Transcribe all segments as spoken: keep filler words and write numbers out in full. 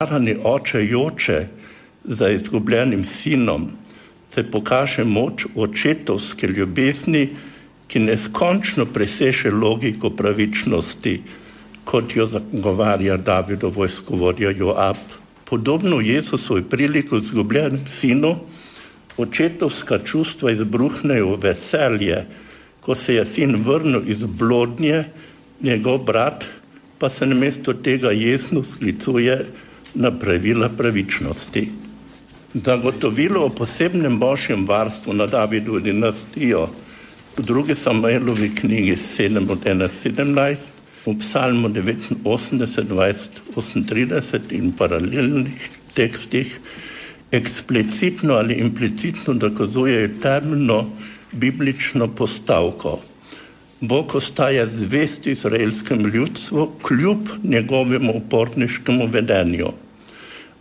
Starani oče joče za izgubljenim sinom, se pokaže moč očetovske ljubezni, ki neskončno preseže logiko pravičnosti, kot jo zagovarja Davidov vojskovodja Joab. Podobno Jezusovi priliku izgubljenem sinu, očetovska čustva izbruhnejo veselje, ko se je sin vrnil iz blodnje, njegov brat pa se namesto tega jesno sklicuje na pravila pravičnosti. Zagotovilo o posebnem božjem varstvu na Davidovo dinastijo v drugi Samuelovi knjigi sedem od ena sedemnajst, v psalmu devetinosemdeset dvajset osemintrideset in paralelnih tekstih eksplicitno ali implicitno dokazujejo temeljno biblično postavko. Bog ostaja zvest izraelskemu ljudstvu kljub njegovemu uporniškemu vedenju.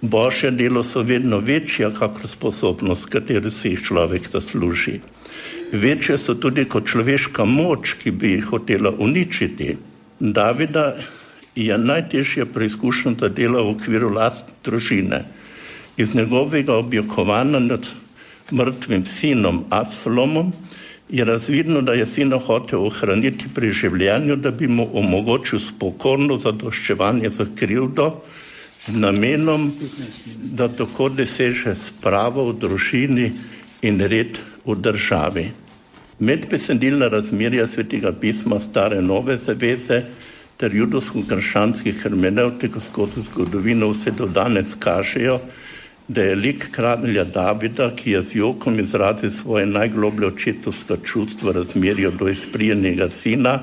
Božje delo so vedno večja, kakor sposobnost, katero si jih človek zasluži. Večje so tudi kot človeška moč, ki bi jih hotela uničiti. Davida je najtežje preizkušen za delo v okviru lastne družine. Iz njegovega objokovanja nad mrtvim sinom Absalomom je razvidno, da je sina hotel ohraniti pri življenju, da bi mu omogočil spokojno zadoščevanje za krivdo z namenom, da tako doseže spravo v družini in red v državi. Medbesedilna razmerja Svetega pisma Stare nove zaveze ter judovsko-krščanskih hermenevtik skozi zgodovino vse do danes kažejo, da je lik kralja Davida, ki je z jokom izrazil svoje najgloblje očetovska čustva razmerja do izprijenega sina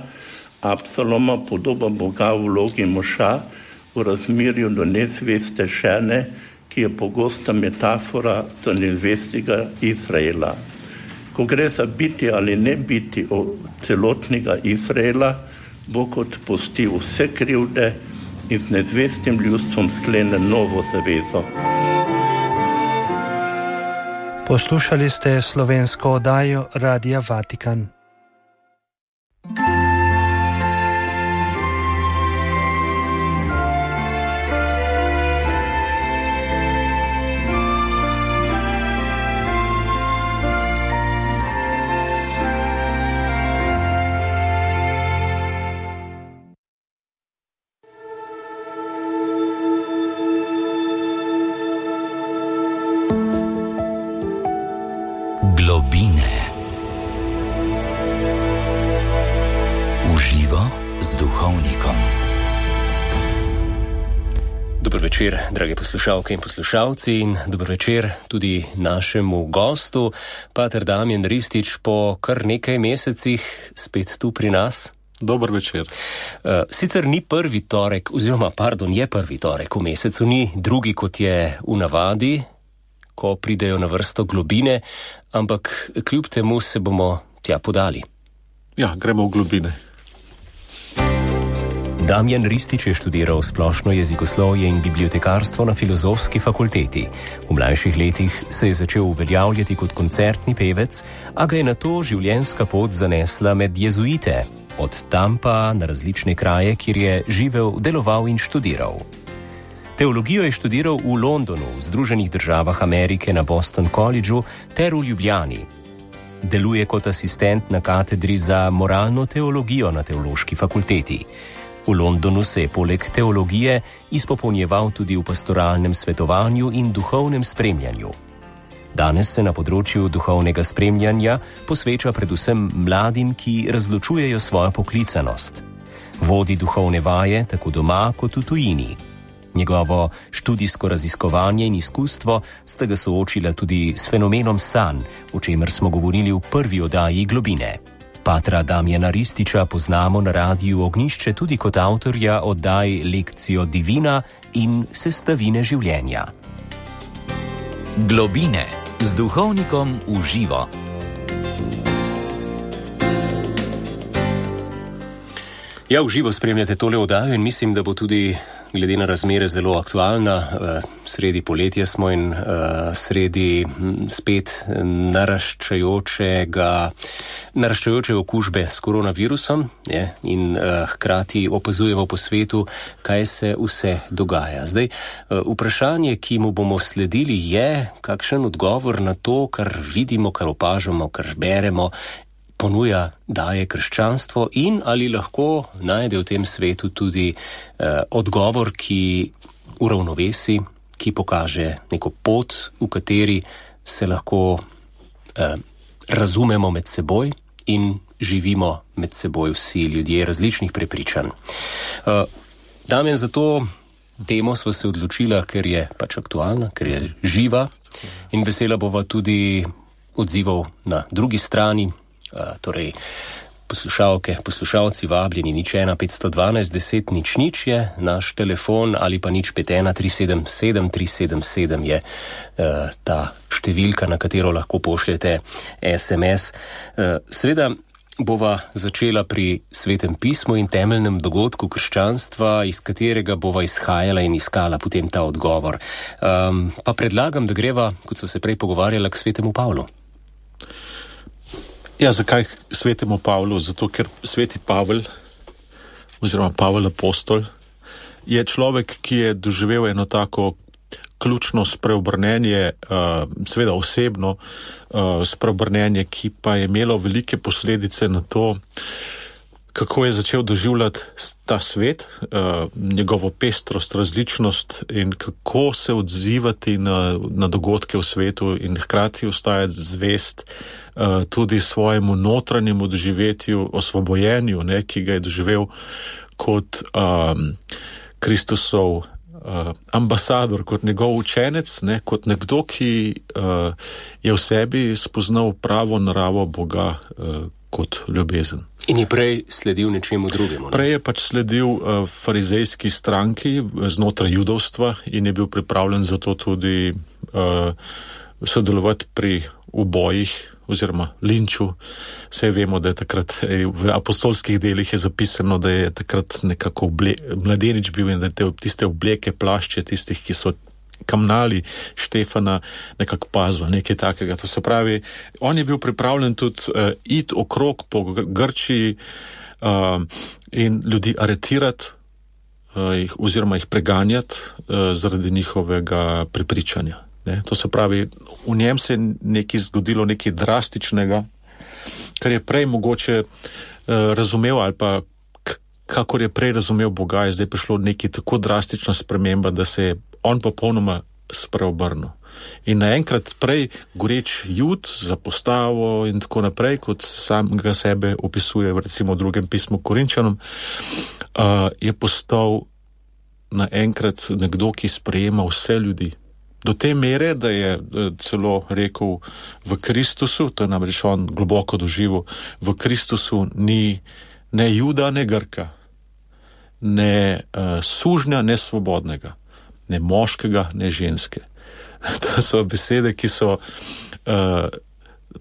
Absaloma, podoba Boga v vlogi moža v razmerju do nezveste žene, ki je pogosta metafora za nezvestega Izraela. Ko gre za biti ali ne biti celotnega Izraela, Bog odpusti vse krivde in z nezvestim ljudstvom sklene novo zavezo. Poslušali ste slovensko oddajo Radia Vatikan. Globine. Uživo z duhovnikom. Dober večer, drage poslušalke in poslušalci, in dober večer tudi našemu gostu, pater Damjan Ristič, po kar nekaj mesecih spet tu pri nas. Dober večer. Sicer ni prvi torek, oziroma, pardon, je prvi torek v mesecu, ni drugi, kot je v navadi, ko pridejo na vrsto globine, ampak kljub temu se bomo tja podali. Ja, gremo v globine. Damjan Ristič je študiral splošno jezikoslovje in bibliotekarstvo na Filozofski fakulteti. V mlajših letih se je začel uveljavljati kot koncertni pevec, a ga je nato življenjska pot zanesla med jezuite, od tam pa na različne kraje, kjer je živel, deloval in študiral. Teologijo je študiral v Londonu, v Združenih državah Amerike na Boston Collegeu ter v Ljubljani. Deluje kot asistent na katedri za moralno teologijo na Teološki fakulteti. V Londonu se je poleg teologije izpopolnjeval tudi v pastoralnem svetovanju in duhovnem spremljanju. Danes se na področju duhovnega spremljanja posveča predvsem mladim, ki razločujejo svojo poklicanost. Vodi duhovne vaje tako doma kot v tujini. Njegovo študijsko raziskovanje in izkustvo sta ga soočila tudi s fenomenom sanj, o čemer smo govorili v prvi oddaji Globine. Patra Damjana Rističa poznamo na Radiu Ognjišče tudi kot avtorja oddaj Lekcijo divina in Sestavine življenja. Globine z duhovnikom v živo. Ja, v živo spremljate tole oddajo in mislim, da bo tudi glede na razmere zelo aktualna. Sredi poletja smo in sredi spet naraščajočega, naraščajoče okužbe s koronavirusom, je, in hkrati opazujemo po svetu, kaj se vse dogaja. Zdaj, vprašanje, ki mu bomo sledili, je, kakšen odgovor na to, kar vidimo, kar opažamo, kar beremo, ponuja, daje krščanstvo in ali lahko najde v tem svetu tudi eh, odgovor, ki uravnovesi, ki pokaže neko pot, v kateri se lahko eh, razumemo med seboj in živimo med seboj vsi ljudje različnih prepričanj. Eh, Damjan, za to temo sva se odločila, ker je pač aktualna, ker je živa in vesela bova tudi odzivov na drugi strani. Uh, torej, poslušalke, poslušalci vabljeni, nič ena petsto dvanajst deset nič nič je naš telefon ali pa nič pet ena tri sedem sedem tri sedem sedem je uh, ta številka, na katero lahko pošljete es em es. Uh, seveda bova začela pri Svetem pismu in temeljnem dogodku krščanstva, iz katerega bova izhajala in iskala potem ta odgovor. Um, pa predlagam, da greva, kot so se prej pogovarjala, k Svetemu Pavlu. Ja, zakaj Svetemu Pavlu? Zato, ker Sveti Pavel, oziroma Pavel apostol, je človek, ki je doživel eno tako ključno spreobrnenje, uh, seveda osebno uh, spreobrnenje, ki pa je imelo velike posledice na to, kako je začel doživljati ta svet, uh, njegovo pestrost, različnost in kako se odzivati na, na dogodke v svetu in hkrati ostajati zvest uh, tudi svojemu notranjemu doživetju, osvobojenju, ne, ki ga je doživel kot um, Kristusov uh, ambasador, kot njegov učenec, ne, kot nekdo, ki uh, je v sebi spoznal pravo naravo Boga uh, kot ljubezen. In je prej sledil nečemu drugemu. Ne? Prej je pač sledil uh, farizejski stranki znotraj judovstva in je bil pripravljen za to tudi uh, sodelovati pri ubojih oziroma linču. Vse vemo, da je takrat v apostolskih delih je zapisano, da je takrat nekako oble, mladenič bil in da te, tiste obleke, plašče tistih, ki so kamnali Štefana, nekako pazil, nekaj takega. To se pravi, on je bil pripravljen tudi uh, iti okrog po Grčiji uh, in ljudi aretirati uh, jih, oziroma jih preganjati uh, zaradi njihovega prepričanja. Ne? To se pravi, v njem se je nekaj zgodilo, nekaj drastičnega, kar je prej mogoče uh, razumel ali pa k- kakor je prej razumel Boga, je zdaj prišlo nekaj tako drastična sprememba, da se je on popolnoma spreobrnil. In naenkrat prej goreč Jud za postavo in tako naprej, kot sam ga sebe opisuje recimo v drugem pismu Korinčanom, uh, je postal naenkrat nekdo, ki sprejema vse ljudi. Do te mere, da je celo rekel v Kristusu, to je namreč on globoko doživel, v Kristusu ni ne Juda, ne Grka, ne uh, sužnja, ne svobodnega, ne moškega, ne ženske. To so besede, ki so uh,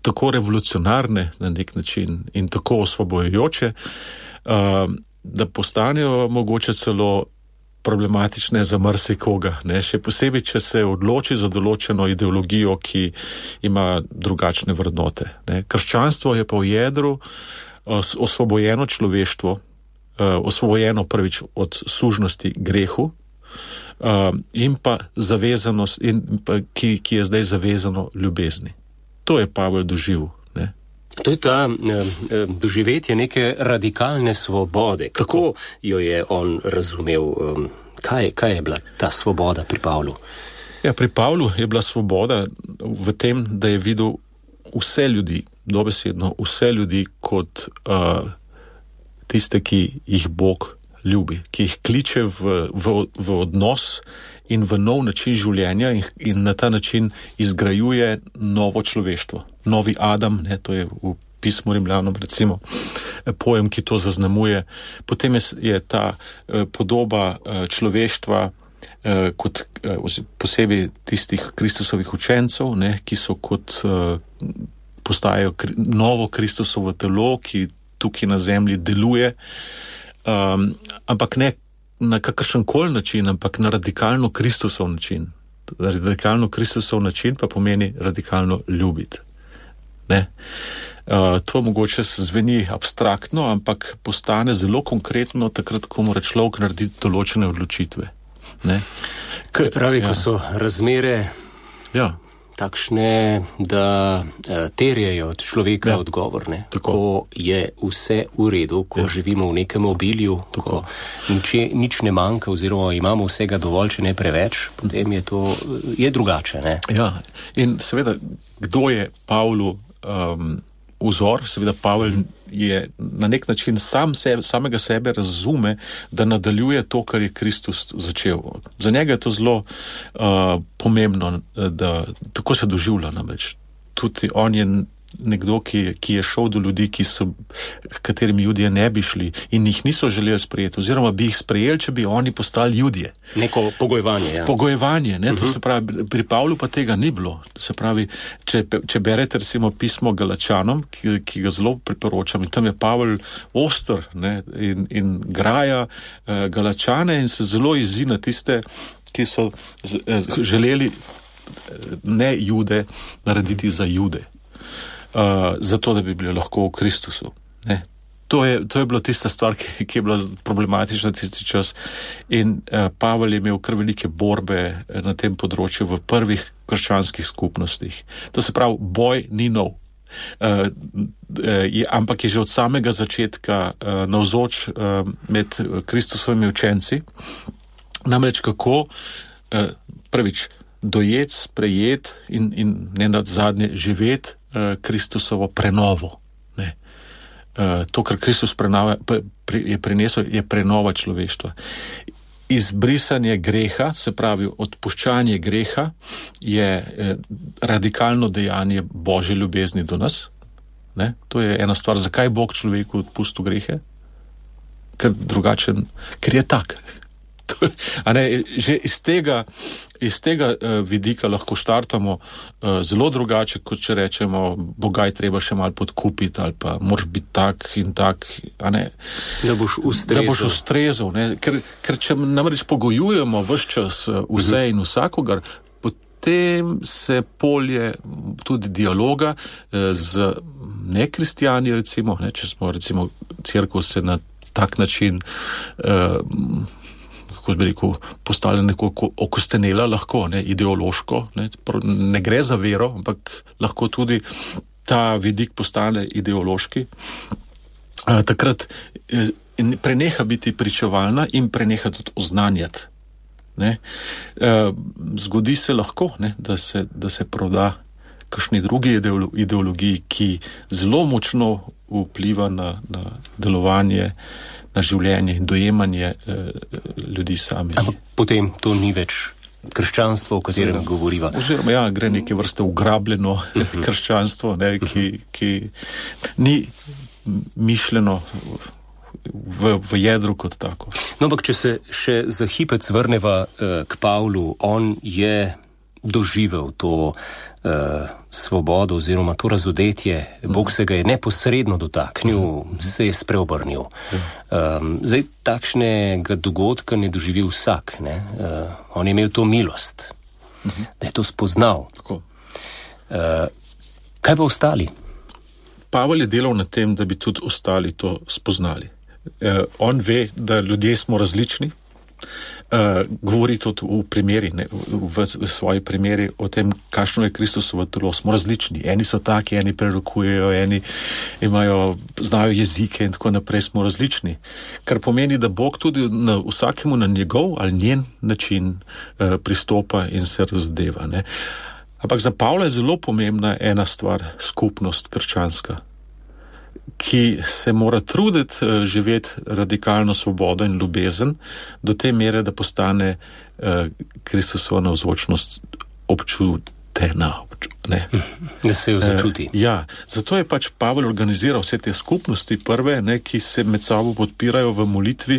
tako revolucionarne na nek način in tako osvobojujoče, uh, da postanejo mogoče celo problematične za marsikoga, ne, še posebej, če se odloči za določeno ideologijo, ki ima drugačne vrednote. Ne. Krščanstvo je pa v jedru os, osvobojeno človeštvo, uh, osvobojeno prvič od sužnosti grehu, Uh, in pa zavezanost, in pa, ki, ki je zdaj zavezano ljubezni. To je Pavel doživel. Ne? To je ta eh, doživetje neke radikalne svobode. Kako jo je on razumel? Um, kaj, kaj je bila ta svoboda pri Pavlu? Ja, pri Pavlu je bila svoboda v tem, da je videl vse ljudi, dobesedno vse ljudi kot uh, tiste, ki jih Bog ljubi, ki jih kliče v, v, v odnos in v nov način življenja in, in na ta način izgrajuje novo človeštvo. Novi Adam, ne, to je v pismu Rimljanom recimo pojem, ki to zaznamuje. Potem je, je ta eh, podoba eh, človeštva eh, kot eh, posebej tistih Kristusovih učencev, ne, ki so kot eh, postajajo kri, novo Kristusovo telo, ki tukaj na zemlji deluje. Um, ampak ne na kakršenkoli način, ampak na radikalno Kristusov način. Radikalno Kristusov način pa pomeni radikalno ljubiti. Ne? Uh, to mogoče zveni abstraktno, ampak postane zelo konkretno takrat, ko mora človek narediti določene odločitve. Ne? K, Se pravi, ja. Ko so razmere ja. takšne, da uh, terjajo od človeka ja. odgovor, ne? Ko je vse v redu, ko ja. živimo v nekem obilju, Tako. ko nič, nič ne manjka oziroma imamo vsega dovolj, če ne preveč, potem je to je drugače. Ne? Ja, in seveda, kdo je Pavlu um, vzor? Seveda Pavel je na nek način sam sebe, samega sebe razume, da nadaljuje to, kar je Kristus začel. Za njega je to zelo uh, pomembno, da tako se doživlja namreč. Tudi on je nekdo, ki, ki je šel do ljudi, ki so, katerimi Judije ne bi šli in jih niso želeli sprejeti, oziroma bi jih sprejeli, če bi oni postali Judije. Neko pogojevanje, ja. Pogojevanje, ne, uh-huh. to se pravi, pri Pavlu pa tega ni bilo. To se pravi, če, če berete recimo pismo Galačanom, ki, ki ga zelo priporočam, in tam je Pavel oster, ne, in, in graja uh, Galačane in se zelo jezi na tiste, ki so z, z, želeli ne Jude narediti za Jude. Uh, zato, da bi bili lahko v Kristusu. Ne. To je, to je bila tista stvar, ki, ki je bila problematična tisti čas. In uh, Pavel je imel kar velike borbe na tem področju v prvih krščanskih skupnostih. To se pravi, boj ni nov. Uh, je, ampak je že od samega začetka uh, navzoč uh, med Kristusovimi učenci. Namreč kako uh, prvič dojet, sprejet in, in ne nadzadnje živeti Kristusovo prenovo. Ne. To, kar Kristus prenova, je prinesel, je prenova človeštva. Izbrisanje greha, se pravi odpuščanje greha, je radikalno dejanje Božje ljubezni do nas. Ne. To je ena stvar. Zakaj Bog človeku odpustil grehe? Ker drugačen, ker je tak. A ne, že iz tega, iz tega uh, vidika lahko štartamo uh, zelo drugače, kot če rečemo, Boga je treba še malo podkupiti ali pa moraš biti tak in tak, a ne. Da boš ustrezal. Da boš ustrezal, ne. Ker, ker če namreč pogojujemo ves čas uh, vse uh-huh. in vsakogar, potem se polje tudi dialoga uh, z nekristijani, recimo, ne, če smo recimo cerkev se na tak način uh, kako bi rekel, postala nekoliko okostenela lahko, ne, ideološko, ne, ne gre za vero, ampak lahko tudi ta vidik postane ideološki. A, takrat preneha biti pričevalna in preneha tudi oznanjati. Ne. A, zgodi se lahko, ne, da se, da se proda kakšni drugi ideologiji, ki zelo močno vpliva na, na delovanje, na življenje in dojemanje eh, ljudi sami. Ampak potem to ni več krščanstvo, o katerem Zelo, govoriva. Oziroma, ja, gre neke vrste ugrabljeno uh-huh. krščanstvo, ne, ki, ki ni mišljeno v, v jedru kot tako. No, ampak če se še za hipec vrneva uh, k Pavlu, on je doživel to uh, svobodo oziroma to razodetje, Bog se ga je neposredno dotaknil, se je spreobrnil. Um, zdaj, takšnega dogodka ne doživi vsak, ne? Uh, on je imel to milost, da je to spoznal. Tako. Uh, kaj pa ostali? Pavel je delal na tem, da bi tudi ostali to spoznali. Uh, on ve, da ljudje smo različni. Uh, govori tudi v primeri, ne, v, v svoji primeri o tem, kakšno je Kristusovo telo. Smo različni. Eni so taki, eni prerokujejo, eni imajo, znajo jezike in tako naprej. Smo različni. Kar pomeni, da Bog tudi na vsakemu na njegov ali njen način uh, pristopa in se razdeva. Ne. Ampak za Pavla je zelo pomembna ena stvar, skupnost krščanska, ki se mora truditi uh, živeti radikalno svobodo in ljubezen do te mere, da postane uh, Kristusova navzočnost občutena. Ne. Da se jo začuti. Uh, ja, zato je pač Pavel organiziral vse te skupnosti prve, ne, ki se med sabo podpirajo v molitvi,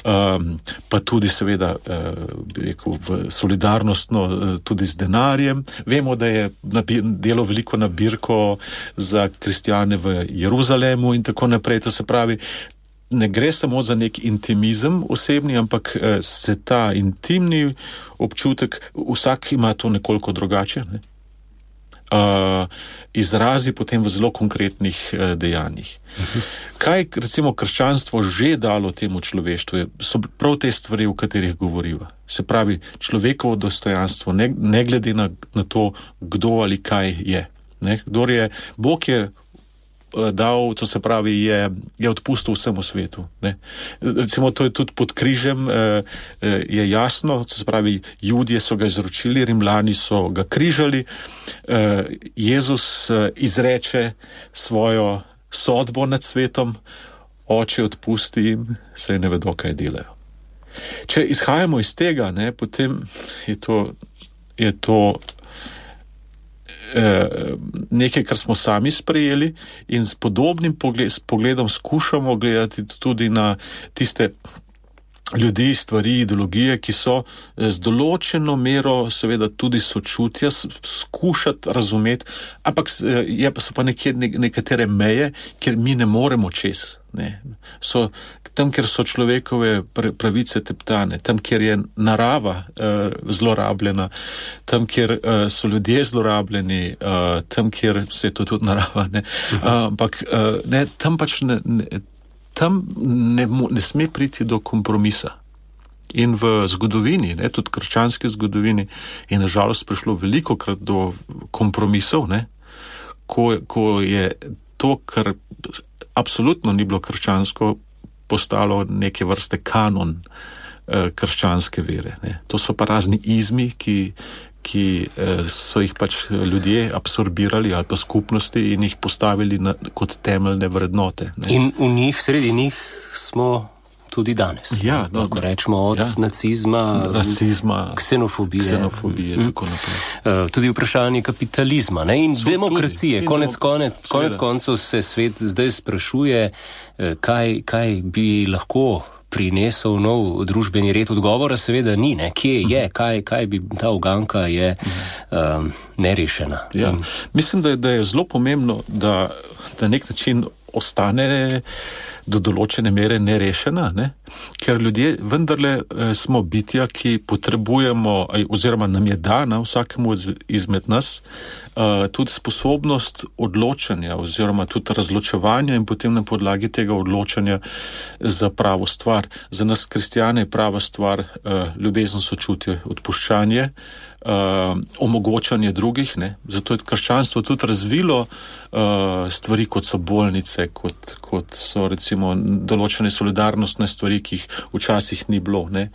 um, pa tudi seveda uh, rekel, v solidarnostno uh, tudi z denarjem. Vemo, da je delo veliko nabirko za kristjane v Jeruzalemu in tako naprej. To se pravi, ne gre samo za nek intimizem osebni, ampak uh, se ta intimni občutek, vsak ima to nekoliko drugače, ne? Uh, izrazi potem v zelo konkretnih uh, dejanjih. Uh-huh. Kaj recimo krščanstvo že dalo temu človeštvu, so prav te stvari, o katerih govoriva. Se pravi, človekovo dostojanstvo, ne, ne glede na, na to, kdo ali kaj je. Ne? Kdor je, Bog je dal, to se pravi, je, je odpustil vsemu svetu. Ne? Recimo, to je tudi pod križem, eh, je jasno, to se pravi, Judje so ga izročili, Rimljani so ga križali, eh, Jezus eh, izreče svojo sodbo nad svetom, Oče odpusti jim, saj ne vedo, kaj delajo. Če izhajamo iz tega, ne, potem je to, je to nekaj, kar smo sami sprejeli in s podobnim pogled, s pogledom skušamo gledati tudi na tiste ljudi, stvari, ideologije, ki so z določeno mero seveda tudi sočutja skušati razumeti, ampak je pa so pa nekje nekatere meje, kjer mi ne moremo čez. Ne. So tam, kjer so človekove pravice teptane, tam, kjer je narava uh, zlorabljena, tam, kjer uh, so ljudje zlorabljeni, uh, tam, kjer se je to tudi narava, ne. Uh, ampak uh, ne, tam pač ne, ne, tam ne, ne sme priti do kompromisa. In v zgodovini, ne, tudi krščanski zgodovini, je nažalost prišlo velikokrat do kompromisov, ne, ko, ko je to, kar absolutno ni bilo krščansko, postalo neke vrste kanon eh, krščanske vere. Ne. To so pa razni izmi, ki, ki eh, so jih pač ljudje absorbirali ali pa skupnosti in jih postavili na, kot temeljne vrednote. Ne. In v njih, sredi njih smo tudi danes. Ja, no, lahko rečemo od ja, nacizma, rasizma, ksenofobije, ksenofobije mm. tako naprej. Uh, tudi vprašanje kapitalizma, ne, in so demokracije. Tudi, konec, konec, konec koncev se svet zdaj sprašuje, kaj, kaj bi lahko prinesel nov družbeni red. Odgovora seveda ni, ne, kje je, kaj, kaj bi ta uganka je um, nerešena. Ja. In... Mislim, da je, da je zelo pomembno, da na nek način ostane do določene mere nerešena, ne? Ker ljudje vendarle eh, smo bitja, ki potrebujemo, oziroma nam je dana vsakemu izmed nas eh, tudi sposobnost odločanja oziroma tudi razločevanja in potem na podlagi tega odločanja za pravo stvar. Za nas kristjane je prava stvar eh, ljubezen, sočutje, odpuščanje, Uh, omogočanje drugih, ne. Zato je krščanstvo tudi razvilo uh, stvari, kot so bolnice, kot, kot so recimo določene solidarnostne stvari, ki jih včasih ni bilo, ne.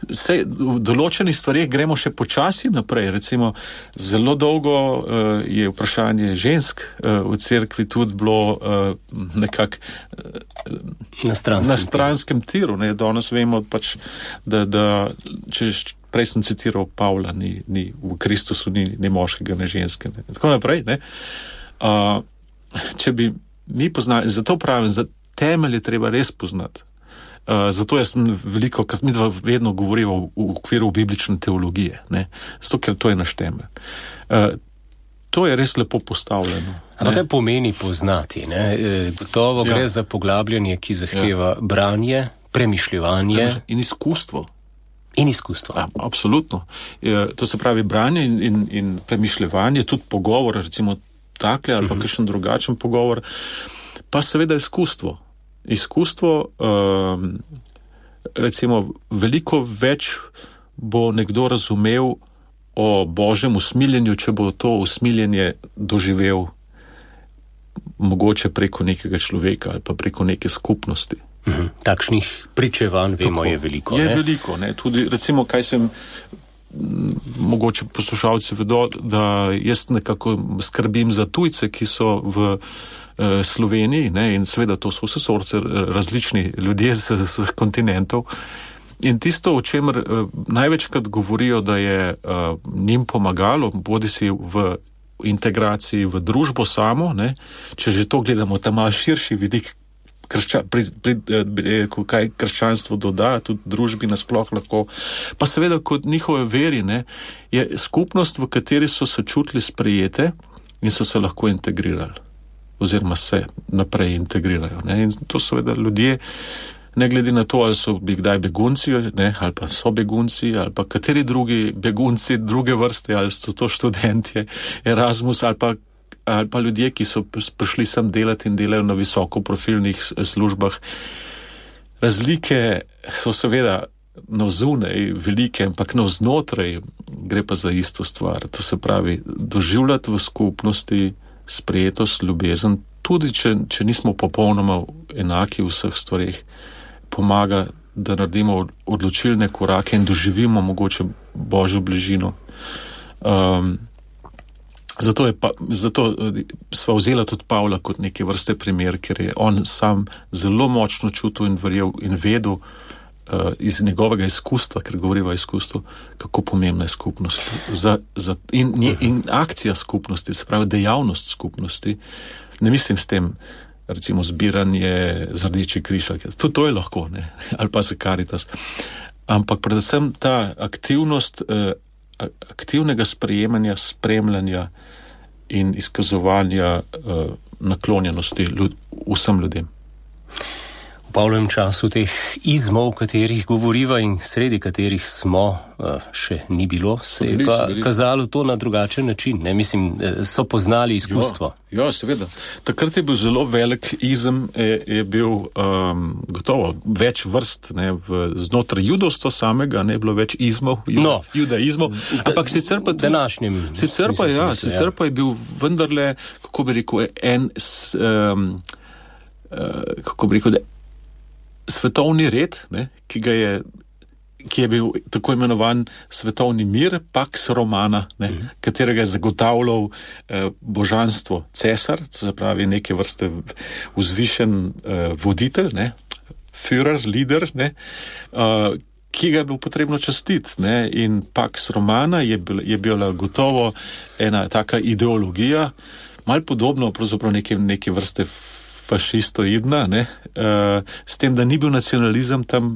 Sej, v določenih stvarih gremo še počasi naprej. Recimo, zelo dolgo uh, je vprašanje žensk uh, v cerkvi tudi bilo uh, nekako uh, na stranskem, na stranskem tiru, ne. Danes vemo pač, da, da če prej sem citiral Pavla, ni, ni, v Kristusu ni, ni moškega, ne ženske. Ne. Tako naprej, ne. Uh, če bi mi poznali, zato pravim, za temelje treba res poznati. Uh, zato jaz veliko, krat mi dva vedno govorimo v, v okviru biblične teologije, ne. Zato, ker to je naš temelj. Uh, to je res lepo postavljeno. Ampak kaj pomeni poznati, ne? Gotovo ja. Gre za poglabljanje, ki zahteva ja. Branje, premišljevanje. In izkustvo. In izkustvo. A, absolutno. E, to se pravi branje in, in, in premišljevanje, tudi pogovor, recimo takle ali pa uh-huh. kakšen drugačen pogovor, pa seveda izkustvo. Izkustvo, um, recimo, veliko več bo nekdo razumel o Božjem usmiljenju, če bo to usmiljenje doživel mogoče preko nekega človeka ali pa preko neke skupnosti. Uhum. Takšnih pričevanj, vemo, tako, je veliko. Je ne? veliko, ne. Tudi, recimo, kaj sem, mogoče poslušalci vedo, da jaz nekako skrbim za tujce, ki so v eh, Sloveniji, ne, in seveda to so vse sorte različni ljudje z vseh kontinentov. In tisto, o čemer eh, največkrat govorijo, da je eh, njim pomagalo, bodi si v integraciji v družbo samo, ne, če že to gledamo, ta malo širši vidik, Kršča, pri, pri, kaj krščanstvo doda, tudi družbi nasploh lahko, pa seveda kot njihove veri, ne, je skupnost, v kateri so se čutili sprejete in so se lahko integrirali, oziroma se naprej integrirajo. Ne, in to seveda ljudje ne glede na to, ali so bi kdaj begunci, ne, ali pa so begunci, ali pa kateri drugi begunci druge vrste, ali so to študentje Erasmus, ali pa, ali pa ljudje, ki so prišli sem delati in delajo na visokoprofilnih službah. Razlike so seveda navzunaj velike, ampak navznotraj gre pa za isto stvar. To se pravi, doživljati v skupnosti sprejetost, ljubezen, tudi če, če nismo popolnoma enaki v vseh stvareh, pomaga, da naredimo odločilne korake in doživimo mogoče Božjo bližino. Um, zato je pa, zato sva vzela tudi Pavla kot neke vrste primer, ker je on sam zelo močno čutil in verjel in vedel uh, iz njegovega izkustva, ker govoriva o izkustvu, kako pomembna je skupnost. Za, za, in, in akcija skupnosti, se pravi dejavnost skupnosti, ne mislim s tem, recimo zbiranje za Rdeči križ, tudi to je lahko, ne, ali pa za Caritas. Ampak predvsem ta aktivnost, eh, aktivnega sprejemanja, spremljanja in izkazovanja eh, naklonjenosti ljud, vsem ljudem. V Pavlovem času teh izmov, o katerih govoriva in sredi katerih smo, še ni bilo, se je pa kazalo to na drugačen način. Ne? Mislim, so poznali izkustvo. Ja, ja, seveda. Takrat je bil zelo velik izem, je, je bil um, gotovo več vrst, ne, v, znotraj judovstva samega, ne bilo več izmov, juda, no, judaizmov, ampak sicer pa današnjem. Sicer pa, ja, sicer pa je bil vendarle, kako bi rekel, en, um, uh, kako bi rekel, svetovni red, ne, ki ga je, ki je bil tako imenovan svetovni mir, Pax Romana, ne, mm. katerega je zagotavljal eh, božanstvo cesar, to se pravi neke vrste vzvišen eh, voditelj, ne, Führer, lider, ne, eh, ki ga je bilo potrebno častiti, ne, in Pax Romana je, bil, je bila gotovo ena taka ideologija, malo podobno pravzaprav neke, neke vrste fašistoidna, ne, uh, s tem, da ni bil nacionalizem tam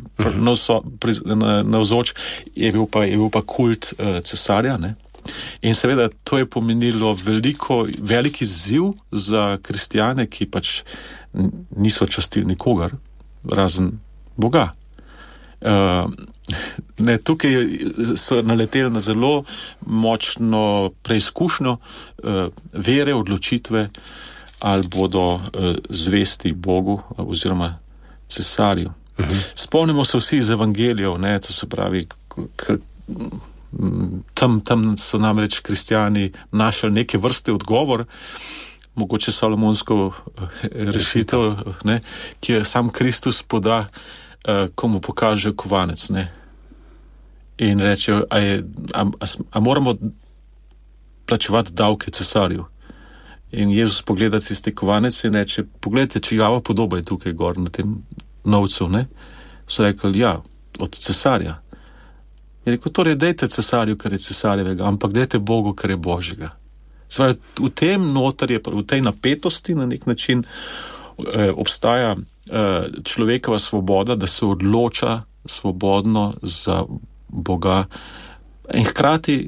navzoč, je bil pa, je bil pa kult uh, cesarja, ne. In seveda to je pomenilo veliko, veliki izziv za kristjane, ki pač niso častili nikogar, razen Boga. Uh, ne, tukaj so naleteli na zelo močno preizkušnjo uh, vere, odločitve, ali bodo uh, zvesti Bogu oziroma cesarju. Uh-huh. Spomnimo se vsi iz evangelijev, ne, to se pravi, k, k, tam, tam so namreč kristjani našli neke vrste odgovor, mogoče salomonsko uh, rešitev, ne, ki je sam Kristus poda, uh, komu pokaže kovanec, ne, in reče, a, je, a, a, a moramo plačevati davke cesarju. In Jezus pogleda tisti kovanec in reče, pogledajte, čigava podoba je tukaj gor na tem novcu, ne? So rekli, ja, od cesarja. Je rekel, torej dejte cesarju, kar je cesarjevega, ampak dejte Bogu, kar je Božjega. Svoj, v tem notar je, v tej napetosti na nek način eh, obstaja eh, človekova svoboda, da se odloča svobodno za Boga in hkrati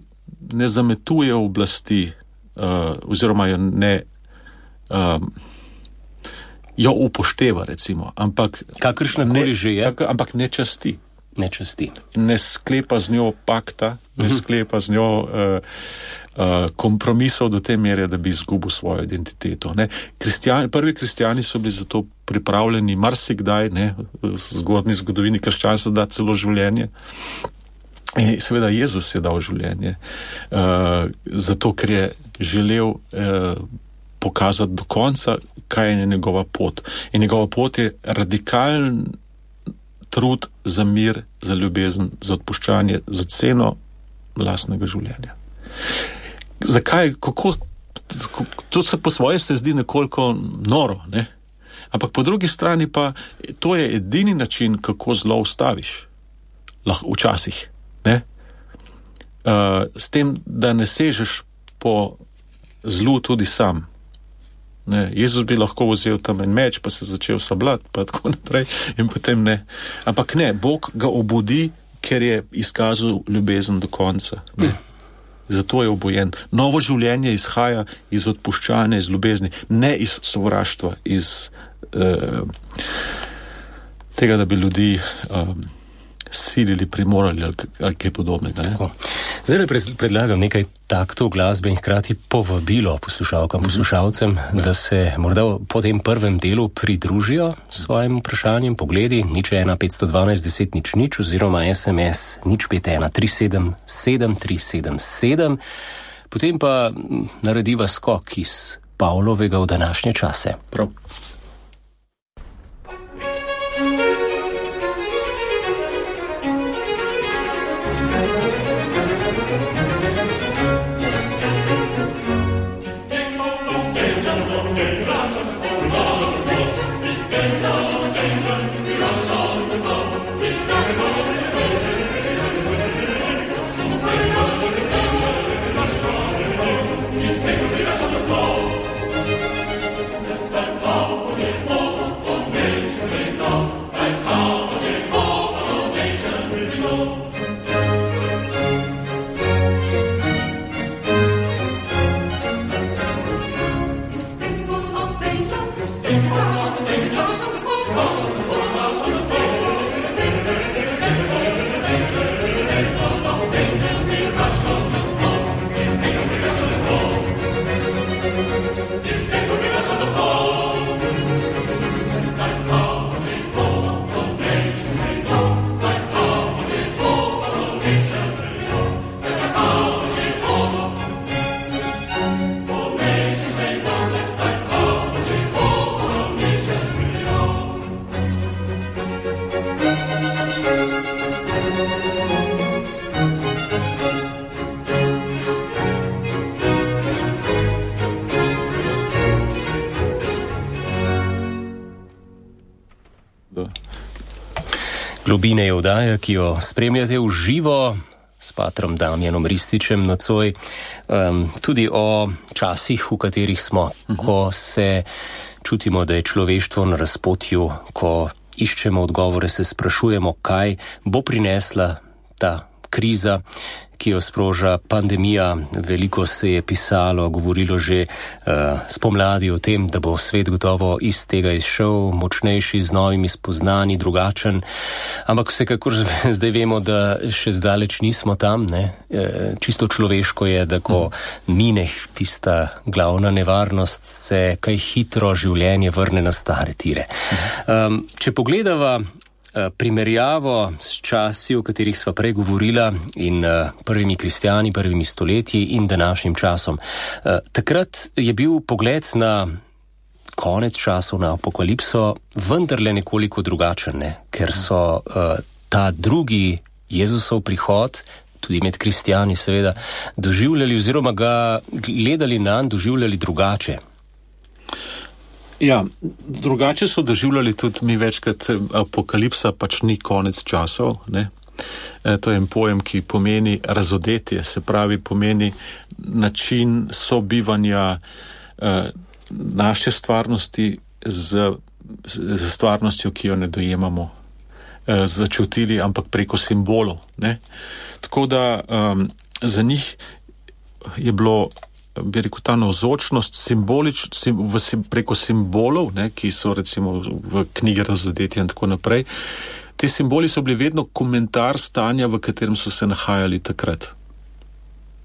ne zametuje oblasti, Uh, oziroma jo ne um, jo upošteva, recimo, ampak kakršnakoli že je, tak, ampak ne časti. Ne časti. Ne sklepa z njo pakta, uh-huh. ne sklepa z njo uh, uh, kompromisov do te mere, da bi izgubil svojo identiteto. Ne. Kristjani, prvi kristjani so bili zato pripravljeni marsikdaj, ne, v zgodni zgodovini krščanstva dati celo življenje. In seveda Jezus je dal življenje, uh, zato ker je želel uh, pokazati do konca, kaj je njegova pot. In njegova pot je radikalen trud za mir, za ljubezen, za odpuščanje, za ceno lastnega življenja. Zakaj? Kako? To se po svoje se zdi nekoliko noro, ne? Ampak po drugi strani pa to je edini način, kako zlo ustaviš. Lahko včasih. Ne? Uh, s tem, da ne sežeš po zlu tudi sam. Ne? Jezus bi lahko vzel tam en meč, pa se začel sabljati, pa tako naprej, in potem ne. Ampak ne, Bog ga obudi, ker je izkazal ljubezen do konca. Ne? Zato je obojen. Novo življenje izhaja iz odpuščanja, iz ljubezni, ne iz sovraštva, iz uh, tega, da bi ljudi um, silili, primorali ali, ali kaj podobnega. Ne? Zdaj predlagam nekaj taktov glasbe in hkrati povabilo poslušalkam, poslušalcem, mm-hmm. da se morda po tem prvem delu pridružijo svojim vprašanjem, pogledi, nič ena petsto dvanajst deset nič nič oziroma S M S nič pet ena tri sedem sedem tri sedem sedem. Potem pa narediva skok iz Pavlovega v današnje čase. Prav. Globine je oddaja, ki jo spremljate v živo s patrom Damjanom Rističem nocoj, um, tudi o časih, v katerih smo, uh-huh. ko se čutimo, da je človeštvo na razpotju, ko iščemo odgovore, se sprašujemo, kaj bo prinesla ta kriza, ki jo sproža pandemija. Veliko se je pisalo, govorilo že uh, spomladi o tem, da bo svet gotovo iz tega izšel, močnejši, z novimi spoznanji, drugačen. Ampak vsekakor zdaj vemo, da še zdaleč nismo tam. Ne? E, čisto človeško je, da ko mine tista glavna nevarnost, se kaj hitro življenje vrne na stare tire. Um, če pogledava primerjavo s časi, o katerih sva prej govorila, in uh, prvimi kristjani, prvimi stoletji in današnjim časom. Uh, takrat je bil pogled na konec časov, na apokalipso, vendarle nekoliko drugačen, ne? Ker so uh, ta drugi Jezusov prihod, tudi med kristjani seveda, doživljali oziroma ga gledali nanj, doživljali drugače. Ja, drugače so doživljali tudi mi večkrat, apokalipsa pač ni konec časov, ne. E, to je en pojem, ki pomeni razodetje, se pravi pomeni način sobivanja e, naše stvarnosti z, z stvarnostjo, ki jo ne dojemamo, e, začutili, ampak preko simbolov, ne. Tako da um, za njih je bilo, bi rekel, ta navzočnost simbolič, sim, v, preko simbolov, ne, ki so recimo v knjigi Razodetja in tako naprej. Te simboli so bili vedno komentar stanja, v katerem so se nahajali takrat.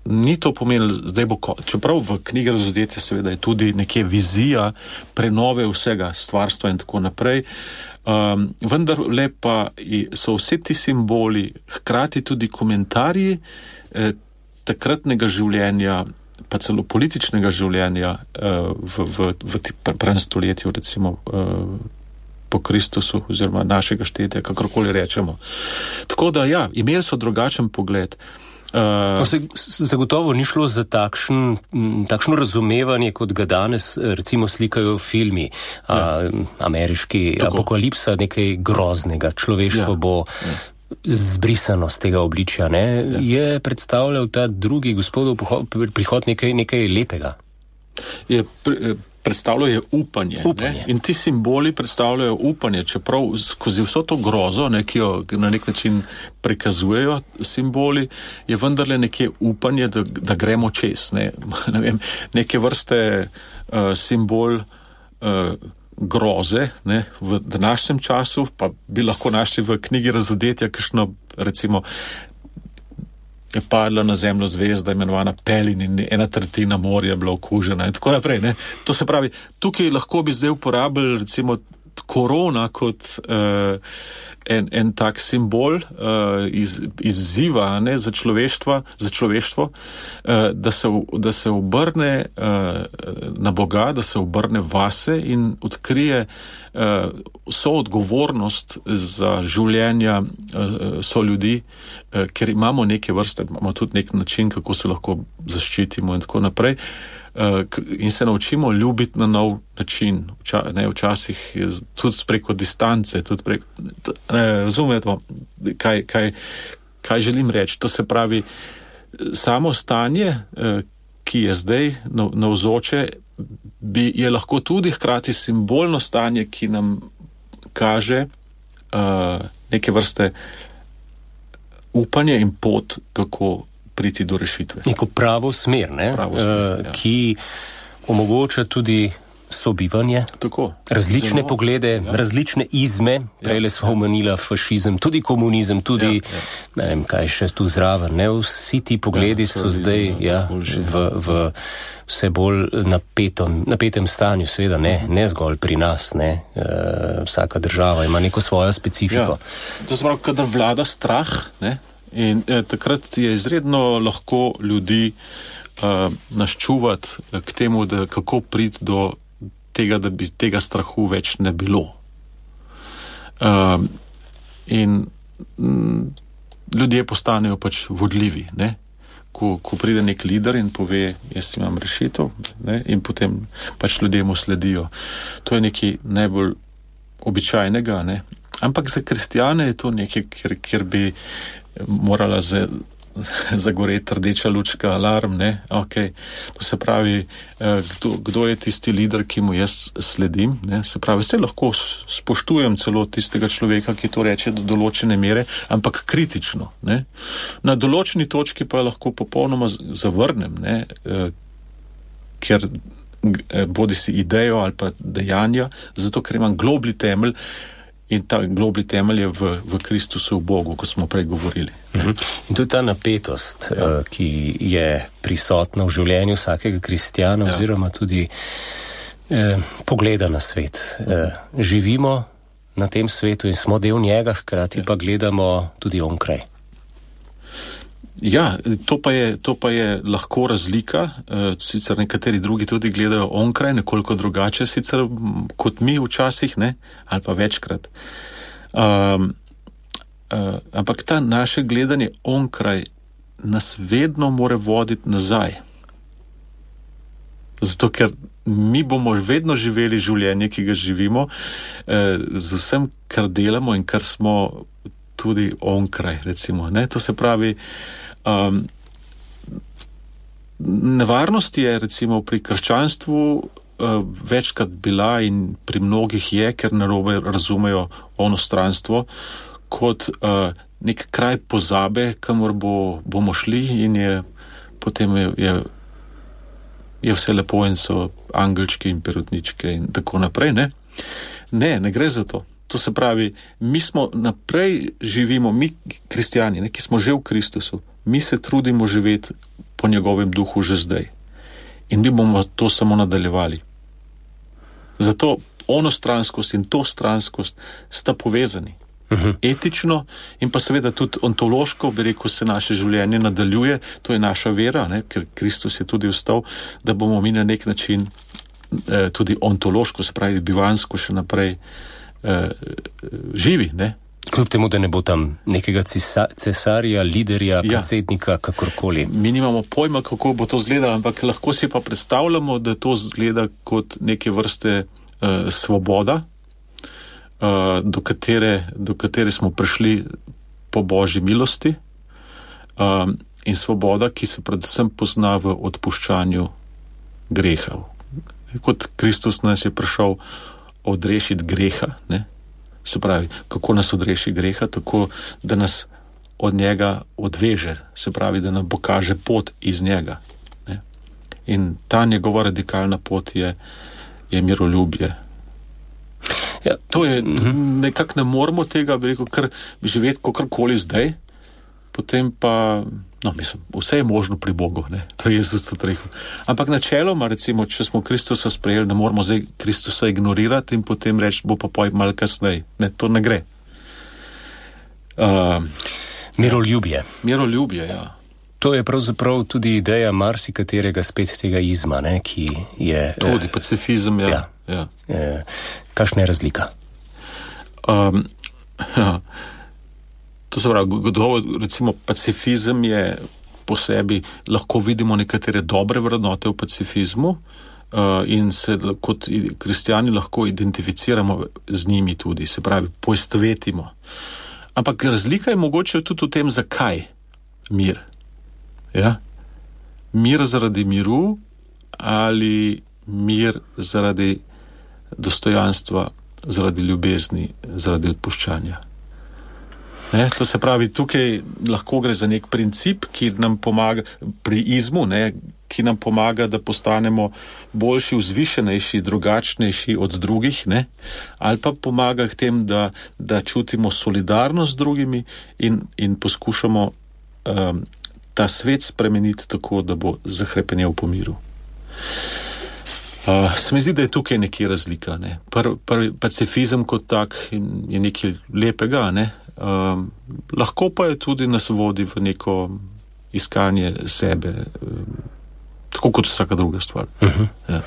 Ni to pomenilo, zdaj bo, čeprav v knjigi Razodetja seveda je tudi nekje vizija prenove vsega stvarstva in tako naprej, um, vendar le pa so vse ti simboli hkrati tudi komentarji eh, takratnega življenja, pa celo političnega življenja uh, v, v, v prvem stoletju, recimo uh, po Kristusu oziroma našega štetja, kakorkoli rečemo. Tako da ja, imeli so drugačen pogled. Uh, to se zagotovo ni šlo za takšen, takšno razumevanje, kot ga danes recimo slikajo filmi, ja. uh, ameriški tako. Apokalipsa, nekaj groznega, človeštvo ja. bo ja. zbrisano z tega obličja, ne, ja. je predstavljal ta drugi gospodov prihod nekaj, nekaj lepega. Je predstavljal je upanje, upanje. Ne? In ti simboli predstavljajo upanje, čeprav skozi vso to grozo, ne, ki jo na nek način prikazujejo simboli, je vendarle nekje upanje, da, da gremo čez. Ne? Ne vem, neke vrste uh, simbol uh, groze, ne, v današnjem času, pa bi lahko našli v knjigi Razodetja, kakšno, recimo, je padla na zemljo zvezda, imenovana Pelin, in ena tretjina morja bila okužena in tako naprej. Ne. To se pravi, tukaj lahko bi zdaj uporabili, recimo, korona kot uh, en, en tak simbol uh, iz, izziva, ne, za človeštvo, za človeštvo uh, da, se, da se obrne uh, na Boga, da se obrne vase in odkrije uh, vso odgovornost za življenja uh, so ljudi, uh, ker imamo neke vrste, imamo tudi nek način, kako se lahko zaščitimo in tako naprej. Uh, in se naučimo ljubiti na nov način, Vča, ne, včasih tudi preko distance, tudi preko, ne, razumete, kaj, kaj, kaj želim reči. To se pravi, samo stanje, uh, ki je zdaj navzoče, bi, je lahko tudi hkrati simbolno stanje, ki nam kaže uh, neke vrste upanje in pot, kako priti do rešitve. Neko pravo smer, ne? Pravo smer, uh, ki omogoča tudi sobivanje, tako, različne zelo, poglede, ja. različne izme, prejle smo omenila fašizem, tudi komunizem, tudi, ja, ja. ne vem, kaj še tu zraven, ne? Vsi ti pogledi ja, so zdaj ja, boljši, v, v vse bolj napetom, napetem stanju, seveda ne, ne zgolj pri nas, ne? Uh, vsaka država ima neko svojo specifiko. Ja. To se pravi, kadar vlada strah, ne? In eh, takrat je izredno lahko ljudi eh, naščuvati k temu, da kako priti do tega, da bi tega strahu več ne bilo. Eh, in m, ljudje postanejo pač vodljivi, ne? Ko, ko pride nek lider in pove, jaz imam rešitev, ne? In potem pač ljudje mu sledijo. To je nekaj najbolj običajnega, ne? Ampak za kristjane je to nekaj, kjer, kjer bi morala zagoreti rdeča lučka, alarm, ne, ok. To se pravi, kdo, kdo je tisti lider, ki mu jaz sledim, ne, se pravi, se lahko spoštujem celo tistega človeka, ki to reče do določene mere, ampak kritično, ne. Na določeni točki pa lahko popolnoma zavrnem, ne, ker bodi si idejo ali pa dejanja, zato ker imam globli temelj. In ta globli temelj je v, v Kristusu, v Bogu, kot smo prej govorili. Uh-huh. In tudi ta napetost, ja. uh, ki je prisotna v življenju vsakega kristjana, ja. oziroma tudi uh, pogleda na svet. Uh, živimo na tem svetu in smo del njega, hkrati ja. pa gledamo tudi onkraj. Ja, to pa je, to pa je lahko razlika, uh, sicer nekateri drugi tudi gledajo onkraj, nekoliko drugače, sicer kot mi včasih, ne, ali pa večkrat. Um, uh, ampak ta naše gledanje onkraj nas vedno more voditi nazaj. Zato, ker mi bomo vedno živeli življenje, ki ga živimo, uh, z vsem, kar delamo in kar smo tudi onkraj, recimo, ne, to se pravi, Um, nevarnost je recimo pri krščanstvu uh, večkrat bila in pri mnogih je, ker narobe razumejo onostranstvo, kot uh, nek kraj pozabe, kamor bo, bomo šli in je potem je, je, je vse lepo in so angelčki in perutničke in tako naprej, ne? Ne, ne gre za to. To se pravi, mi smo naprej živimo, mi kristjani, ne, ki smo že v Kristusu, mi se trudimo živeti po njegovem duhu že zdaj. In mi bomo to samo nadaljevali. Zato onostranskost in to stranskost sta povezani. Uh-huh. Etično in pa seveda tudi ontološko, bi rekel, se naše življenje nadaljuje, to je naša vera, ne, ker Kristus je tudi ostal, da bomo mi na nek način eh, tudi ontološko, se pravi bivansko še naprej eh, živi, ne. Kljub temu, da ne bo tam nekega cesa, cesarja, liderja, ja. predsednika, kakorkoli. Mi nimamo pojma, kako bo to izgledalo, ampak lahko si pa predstavljamo, da to izgleda kot neke vrste uh, svoboda, uh, do, katere, do katere smo prišli po Božji milosti, uh, in svoboda, ki se predvsem pozna v odpuščanju greha. Kot Kristus nas je prišel odrešiti greha, ne? Se pravi, kako nas odreši greha, tako da nas od njega odveže, se pravi, da nam pokaže pot iz njega. Ne? In ta njegova radikalna pot je, je miroljubje. Ja, to je, nekako ne moramo tega, bi rekel, kar živeti kakorkoli zdaj, potem pa, no, mislim, vse je možno pri Bogu, ne, to je Jezus tudi rekel. Ampak načeloma, recimo, če smo Kristusa sprejeli, ne moramo zdaj Kristusa ignorirati in potem reči, bo pa poj malo kasneje. Ne, to ne gre. Uh, Miroljubje. Miroljubje, ja. To je pravzaprav tudi ideja marsikaterega spet tega izma, ne, ki je... Tudi pacifizem, ja. ja. ja. Kakšna je razlika? Um, ja. To se pravi, gotovo, recimo, pacifizem je po sebi, lahko vidimo nekatere dobre vrednote v pacifizmu uh, in se kot kristjani lahko identificiramo z njimi tudi, se pravi, poistovetimo. Ampak razlika je mogoče tudi v tem, zakaj mir. Ja? Mir zaradi miru ali mir zaradi dostojanstva, zaradi ljubezni, zaradi odpuščanja. Ne? To se pravi, tukaj lahko gre za nek princip, ki nam pomaga pri izmu, ne? Ki nam pomaga, da postanemo boljši, vzvišenejši, drugačnejši od drugih, ne? Ali pa pomaga k tem, da, da čutimo solidarnost z drugimi in, in poskušamo um, ta svet spremeniti tako, da bo zahrepenel po miru. Uh, se mi zdi, da je tukaj nekaj razlika. Ne? Prvi pr, pacifizem kot tak je nekaj lepega, ne? Um, lahko pa je tudi nas vodi v neko iskanje sebe, um, tako kot vsaka druga stvar. Uh-huh. Ja.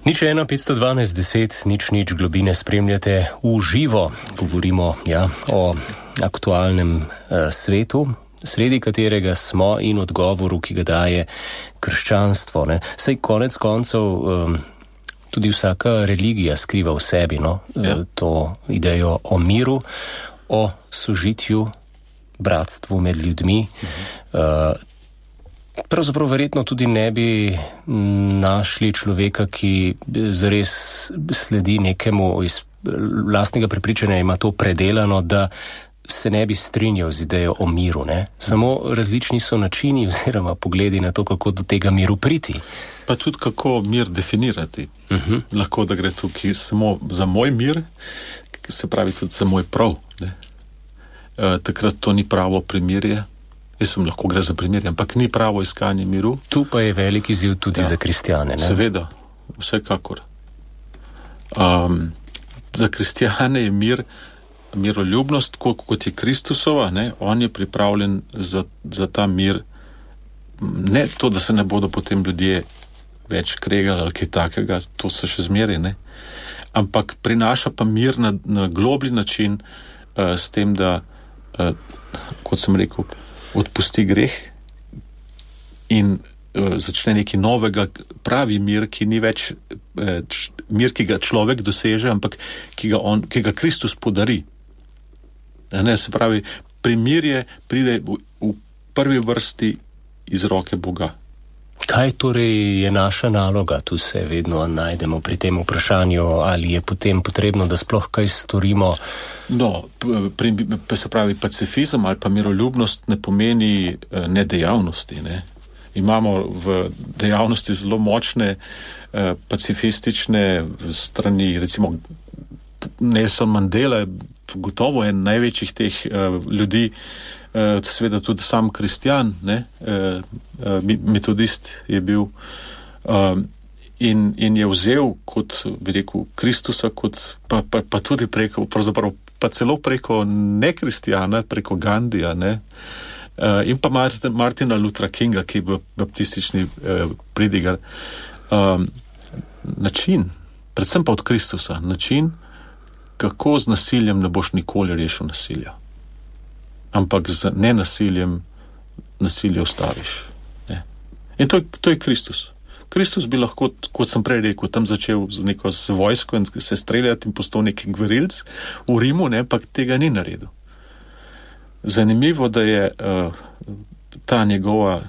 Nič ena, petsto dvanajst, deset, nič, nič, globine spremljate v živo. Govorimo ja, o aktualnem uh, svetu, sredi katerega smo in odgovoru, ki ga daje krščanstvo. Ne? Saj konec koncev um, tudi vsaka religija skriva v sebi no? ja. to idejo o miru, o sožitju, bratstvu med ljudmi. Uh-huh. Uh, pravzaprav verjetno tudi ne bi našli človeka, ki zares sledi nekemu iz lastnega prepričanja, ima to predelano, da se ne bi strinjal z idejo o miru. Ne? Samo različni so načini oziroma pogledi na to, kako do tega miru priti. Pa tudi kako mir definirati. Uh-huh. Lahko, da gre tukaj samo za moj mir, se pravi tudi za moj prav. Ne? E, takrat to ni pravo primirje. Jaz sem lahko gre za primirje, ampak ni pravo iskanje miru. Tu pa je velik izziv tudi ja. za kristjane. Ne? Seveda, vsekakor. Um, za kristjane je mir miroljubnost, kot je Kristusova, ne, on je pripravljen za, za ta mir, ne to, da se ne bodo potem ljudje več kregali ali kaj takega, to se še zmeri, ne, ampak prinaša pa mir na, na globlji način uh, s tem, da, uh, kot sem rekel, odpusti greh in uh, začne neki novega pravi mir, ki ni več uh, č, mir, ki ga človek doseže, ampak ki ga, on, ki ga Kristus podari. Ne, se pravi, primirje pride v, v prvi vrsti iz roke Boga. Kaj torej je naša naloga? Tu se vedno najdemo pri tem vprašanju, ali je potem potrebno, da sploh kaj storimo? No, pri, se pravi, pacifizem ali pa miroljubnost ne pomeni nedejavnosti. Ne? Imamo v dejavnosti zelo močne eh, pacifistične strani, recimo Nelson Mandela, gotovo je največjih teh uh, ljudi, uh, seveda tudi sam kristjan, ne, uh, uh, metodist je bil uh, in, in je vzel kot, bi rekel, Kristusa, kot, pa, pa, pa tudi preko, pravzaprav pa celo preko nekristjana, preko Gandija, ne, uh, in pa Martin, Martina Luthera Kinga, ki je bil baptistični uh, pridigar. Um, način, predvsem pa od Kristusa, način, kako z nasiljem ne boš nikoli rešil nasilja. Ampak z nenasiljem nasilje ustaviš. Ne? In to je, to je Kristus. Kristus bi lahko, kot sem prej rekel, tam začel z neko z vojsko in se streljati in postal neki gverilc v Rimu, ne, ampak tega ni naredil. Zanimivo, da je uh, ta njegova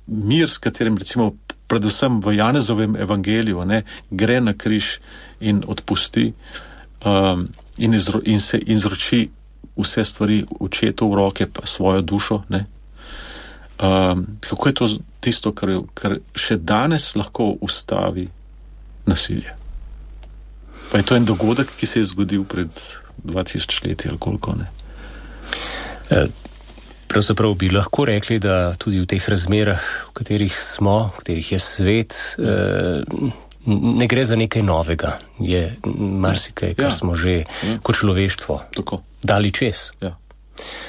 mir, s katerim recimo predvsem v Janezovem evangeliju ne, gre na križ in odpusti Um, in, izro, in se izroči vse stvari očetu v roke, pa svojo dušo. Ne? Um, kako je to tisto, kar, kar še danes lahko ustavi nasilje? Pa je to en dogodek, ki se je zgodil pred dva tisoč leti ali koliko, ne? Pravzaprav bi lahko rekli, da tudi v teh razmerah, v katerih smo, v katerih je svet, ne gre za nekaj novega. Je marsikaj, kar ja. smo že ja. kot človeštvo Tako. dali čez. Ja.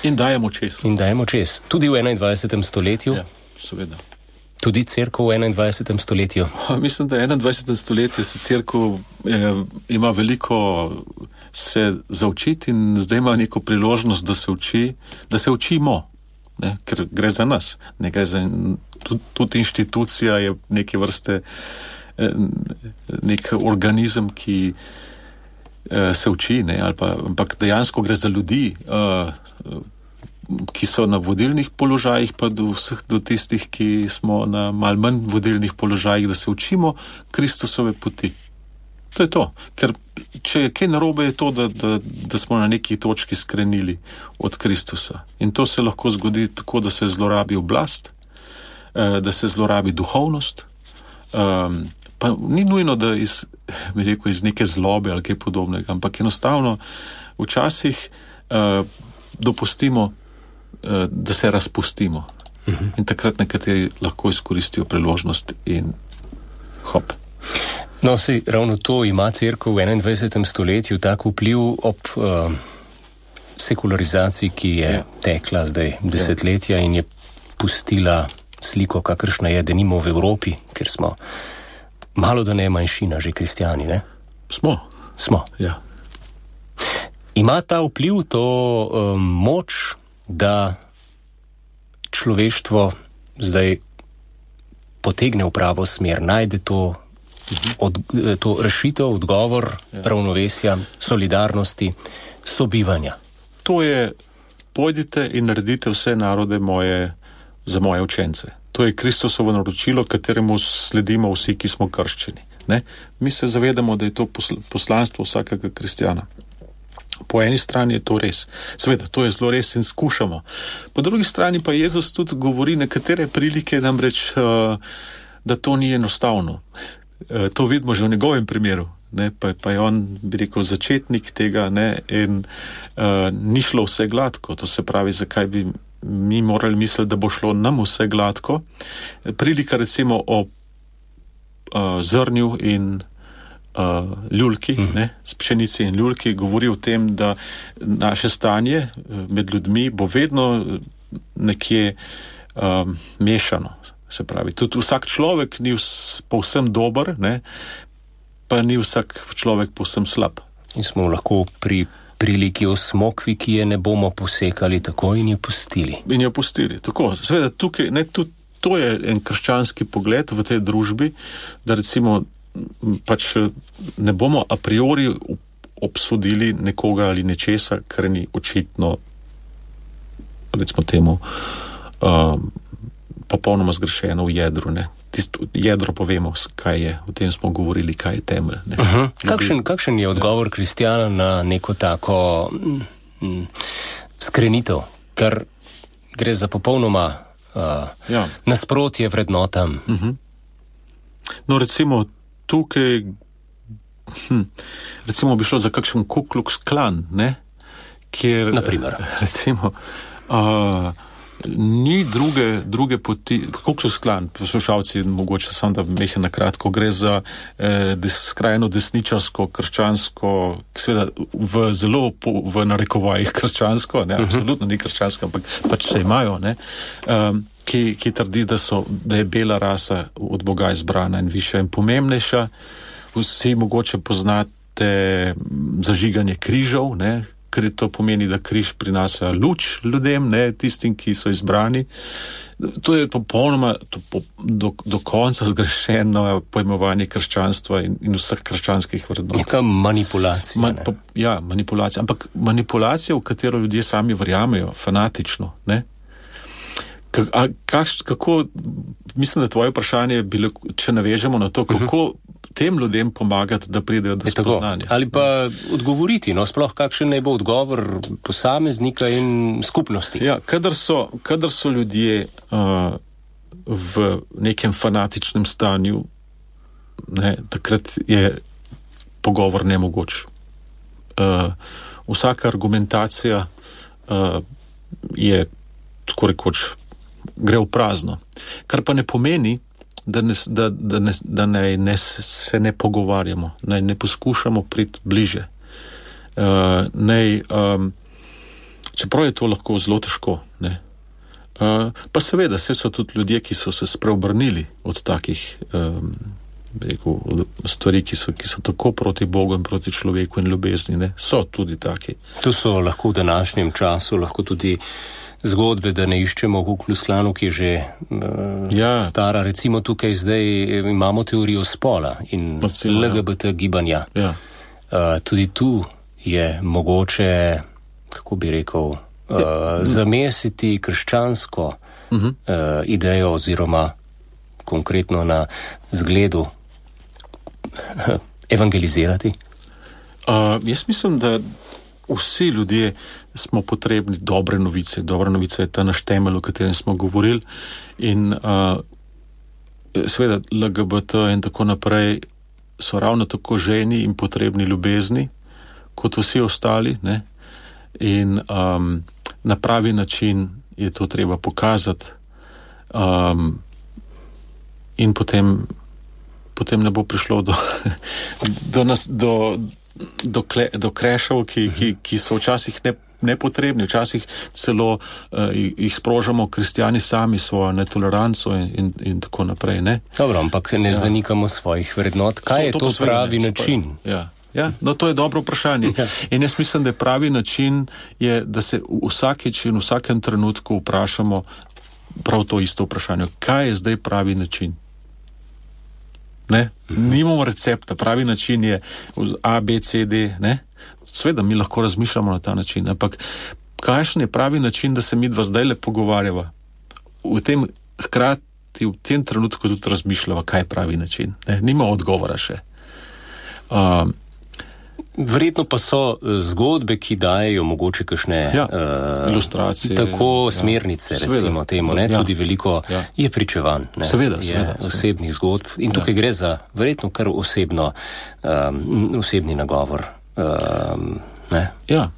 In dajemo čez. In dajemo čez. Tudi v enaindvajsetem stoletju. Ja, seveda. Tudi cerkev v enaindvajsetem stoletju. Mislim, da v enaindvajsetem stoletju se cerkev eh, ima veliko se zaučiti in zdaj ima neko priložnost, da se uči, da se učimo, ne? Ker gre za nas. Ne gre za, tudi, tudi inštitucija je neke vrste eh, nek organizem, ki eh, se uči, ne? Ali pa, ampak dejansko gre za ljudi, eh, ki so na vodilnih položajih, pa do vseh, do tistih, ki smo na malo manj vodilnih položajih, da se učimo Kristusove poti. To je to. Ker če je kaj narobe, je to, da, da, da smo na neki točki skrenili od Kristusa. In to se lahko zgodi tako, da se zlorabi oblast, da se zlorabi duhovnost, pa ni nujno, da iz, bi rekel, iz neke zlobe ali kaj podobnega, ampak enostavno včasih dopustimo, da se razpustimo. Uh-huh. In takrat nekateri lahko izkoristijo priložnost in hop. No, sej, ravno to ima cerkev v enaindvajsetem stoletju tak vpliv ob uh, sekularizaciji, ki je ja. tekla zdaj desetletja ja. in je pustila sliko, kakršna je, denimo v Evropi, ker smo malo da ne manjšina, že kristjani, ne? Smo. Smo. Ja. Ima ta vpliv, to um, moč, da človeštvo zdaj potegne v pravo smer, najde to, uh-huh. od, to rešitev, odgovor, ja. ravnovesja, solidarnosti, sobivanja. To je, pojdite in naredite vse narode moje, za moje učence. To je Kristusovo naročilo, kateremu sledimo vsi, ki smo krščeni. Ne? Mi se zavedamo, da je to poslanstvo vsakega kristjana. Po eni strani je to res. Seveda, to je zelo res in skušamo. Po drugi strani pa Jezus tudi govori nekatere prilike, namreč, da to ni enostavno. To vidimo že v njegovem primeru. Ne? Pa, pa je on, bi rekel, začetnik tega, ne? In uh, ni šlo vse gladko. To se pravi, zakaj bi mi morali misliti, da bo šlo nam vse gladko. Prilika recimo o uh, zrnju in Uh, ljulki, mm. ne, s pšenici in ljulki, govori o tem, da naše stanje med ljudmi bo vedno nekje um, mešano. Se pravi, tudi vsak človek ni vs, povsem dober, ne, pa ni vsak človek povsem slab. In smo lahko pri priliki o smokvi, ki je ne bomo posekali tako in jo pustili. In jo pustili, tako. Seveda, tukaj, ne, tudi to je en krščanski pogled v tej družbi, da recimo pač ne bomo a priori obsodili nekoga ali nečesa, kar ni očitno, recimo temu, um, popolnoma zgrešeno v jedru. Ne? Tisto jedro povemo, kaj je. O tem smo govorili, kaj je temelj. Ne? Uh-huh. Kakšen, kakšen je odgovor kristjana na neko tako mm, skrenitev, ker gre za popolnoma uh, ja. nasprotje vrednotam? Uh-huh. No, recimo tukaj, hm, recimo bi šlo za kakšen Ku Klux Klan, ne, kjer, naprimer, recimo, uh, ni druge, druge poti, Ku Klux Klan, poslušalci, mogoče samo da mehe na kratko, gre za eh, des, skrajno desničarsko, krščansko, seveda v zelo, po, v narekovajih krščansko, ne, uh-huh. absolutno ni krščansko, ampak pač se imajo, ne, um, Ki, ki trdi, da, so, da je bela rasa od Boga izbrana in višja in pomembnejša. Vsi mogoče poznate zažiganje križev, ne, ker to pomeni, da križ prinaša luč ljudem, ne, tistim, ki so izbrani. To je popolnoma to po, do, do konca zgrešeno pojmovanje krščanstva in, in vseh krščanskih vrednot. Neka manipulacija. Ma, pa, ja, manipulacija. Ampak manipulacija, v katero ljudje sami verjamejo, fanatično, ne. A, kaš, kako, mislim, da tvoje vprašanje je bilo, če navežemo na to, kako uh-huh. tem ljudem pomagati, da pridejo do spoznanja. Ali pa odgovoriti, no, sploh kakšen naj bo odgovor posameznika in skupnosti. Ja, kadar so, kadar so ljudje uh, v nekem fanatičnem stanju, ne, takrat je pogovor nemogoč. Uh, vsaka argumentacija uh, je tako rekoč gre v prazno. Kar pa ne pomeni, da, ne, da, da, ne, da ne, ne, se ne pogovarjamo, naj ne poskušamo priti bliže. Uh, nej, um, čeprav je to lahko zelo težko. Ne? Uh, pa seveda, vse so tudi ljudje, ki so se spreobrnili od takih um, rekel, od stvari, ki so, ki so tako proti Bogu in proti človeku in ljubezni. Ne? So tudi taki. To so lahko v današnjem času, lahko tudi zgodbe, da ne iščemo Ku Klux Klanu, ki je že uh, ja. stara. Recimo tukaj zdaj imamo teorijo spola in Recimo, L G B T ja. gibanja. Ja. Uh, tudi tu je mogoče, kako bi rekel, uh, ja. zamesiti krščansko uh-huh. uh, idejo oziroma konkretno na zgledu evangelizirati? Uh, jaz mislim, da vsi ljudje smo potrebni dobre novice. Dobra novica je ta naš temelj, o katerem smo govorili. In uh, seveda L G B T in tako naprej so ravno tako ženi in potrebni ljubezni, kot vsi ostali. Ne? In um, na pravi način je to treba pokazati. Um, in potem, potem ne bo prišlo do, do, nas, do, do, kle, do krešov, ki, ki, ki so včasih ne, nepotrebni, včasih celo uh, jih sprožamo kristjani sami svojo netoleranco in, in, in tako naprej. Ne? Dobro, ampak ne ja. zanikamo svojih vrednot. Kaj so, je to, to pravi ne, način? Ja. Ja, no to je dobro vprašanje. Ja. In jaz mislim, da je pravi način, je, da se vsakeč in v vsakem trenutku vprašamo prav to isto vprašanje. Kaj je zdaj pravi način? Ne? Mhm. Nimamo recepta. Pravi način je A, B, C, D. Ne? Sveda mi lahko razmišljamo na ta način. Ampak kakšen je pravi način, da se mi dva zdaj le pogovarjava? V tem hkrati, v tem trenutku tudi razmišljava, kaj je pravi način. Ne? Nima odgovora še. Um, Verjetno pa so zgodbe, ki dajejo mogoče kakšne ja, uh, ilustracije, tako smernice, ja, recimo seveda, temu, ne? Ja, tudi veliko ja. je pričevanj, ne? Seveda, je seveda, osebnih zgodb in tukaj ja. gre za verjetno kar osebno, um, osebni nagovor. Um, ne? Ja.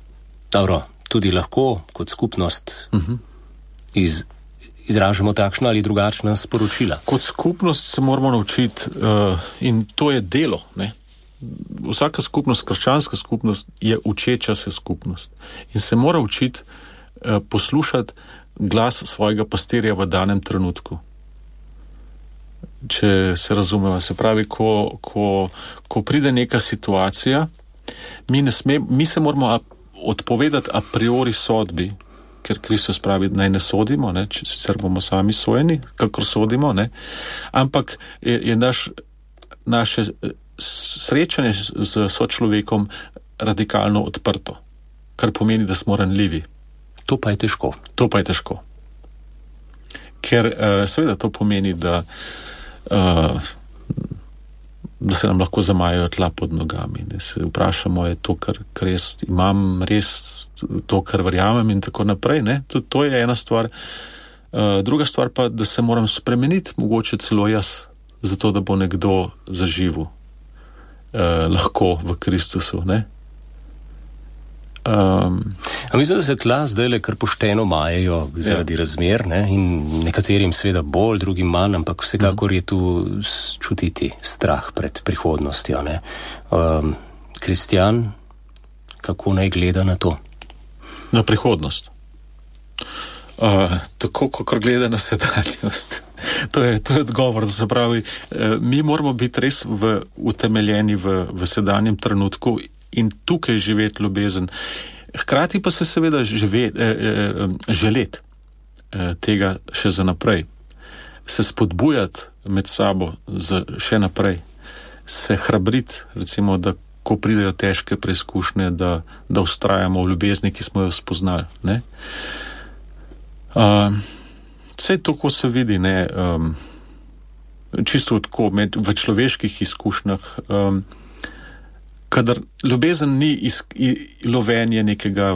Dobro, tudi lahko kot skupnost uh-huh. iz, izražamo takšna ali drugačna sporočila. Kot skupnost se moramo naučiti uh, in to je delo, ne? Vsaka skupnost, krščanska skupnost je učeča se skupnost in se mora učiti eh, poslušati glas svojega pastirja v danem trenutku. Če se razumeva, se pravi, ko, ko, ko pride neka situacija, mi, ne sme, mi se moramo odpovedati a priori sodbi, ker Kristus pravi, naj ne sodimo, ne, če sicer bomo sami sojeni, kakor sodimo, ne, ampak je, je naš, naše srečanje z sočlovekom radikalno odprto, kar pomeni, da smo ranljivi. To pa je težko. To pa je težko. Ker uh, seveda to pomeni, da, uh, da se nam lahko zamajajo tla pod nogami. Da se vprašamo, je to, kar, kar jaz imam, res to, kar verjamem in tako naprej. Ne? To, to je ena stvar. Uh, druga stvar pa, da se moram spremeniti, mogoče celo jaz, zato da bo nekdo zaživel. Uh, lahko v Kristusu, ne? Um, A mislim, da se tla zdaj le kar pošteno majejo zaradi ja. razmer, ne? In nekaterim seveda bolj, drugim manj, ampak vsekakor je tu čutiti strah pred prihodnostjo, ne? Um, kristjan, kako naj gleda na to? Na prihodnost. Uh, tako, kakor gleda na sedanjost. To je, to je odgovor, da se pravi, mi moramo biti res v, utemeljeni v, v sedanjem trenutku in tukaj živeti ljubezen. Hkrati pa se seveda žive, eh, želeti eh, tega še za naprej. Se spodbujati med sabo za še naprej. Se hrabriti, recimo, da ko pridejo težke preizkušnje, da, da ustrajamo v ljubezni, ki smo jo spoznali. Ne? Uh, Vse to, ko se vidi, ne, um, čisto tako med, v človeških izkušnjah, um, kadar ljubezen ni iz, i, lovenje nekega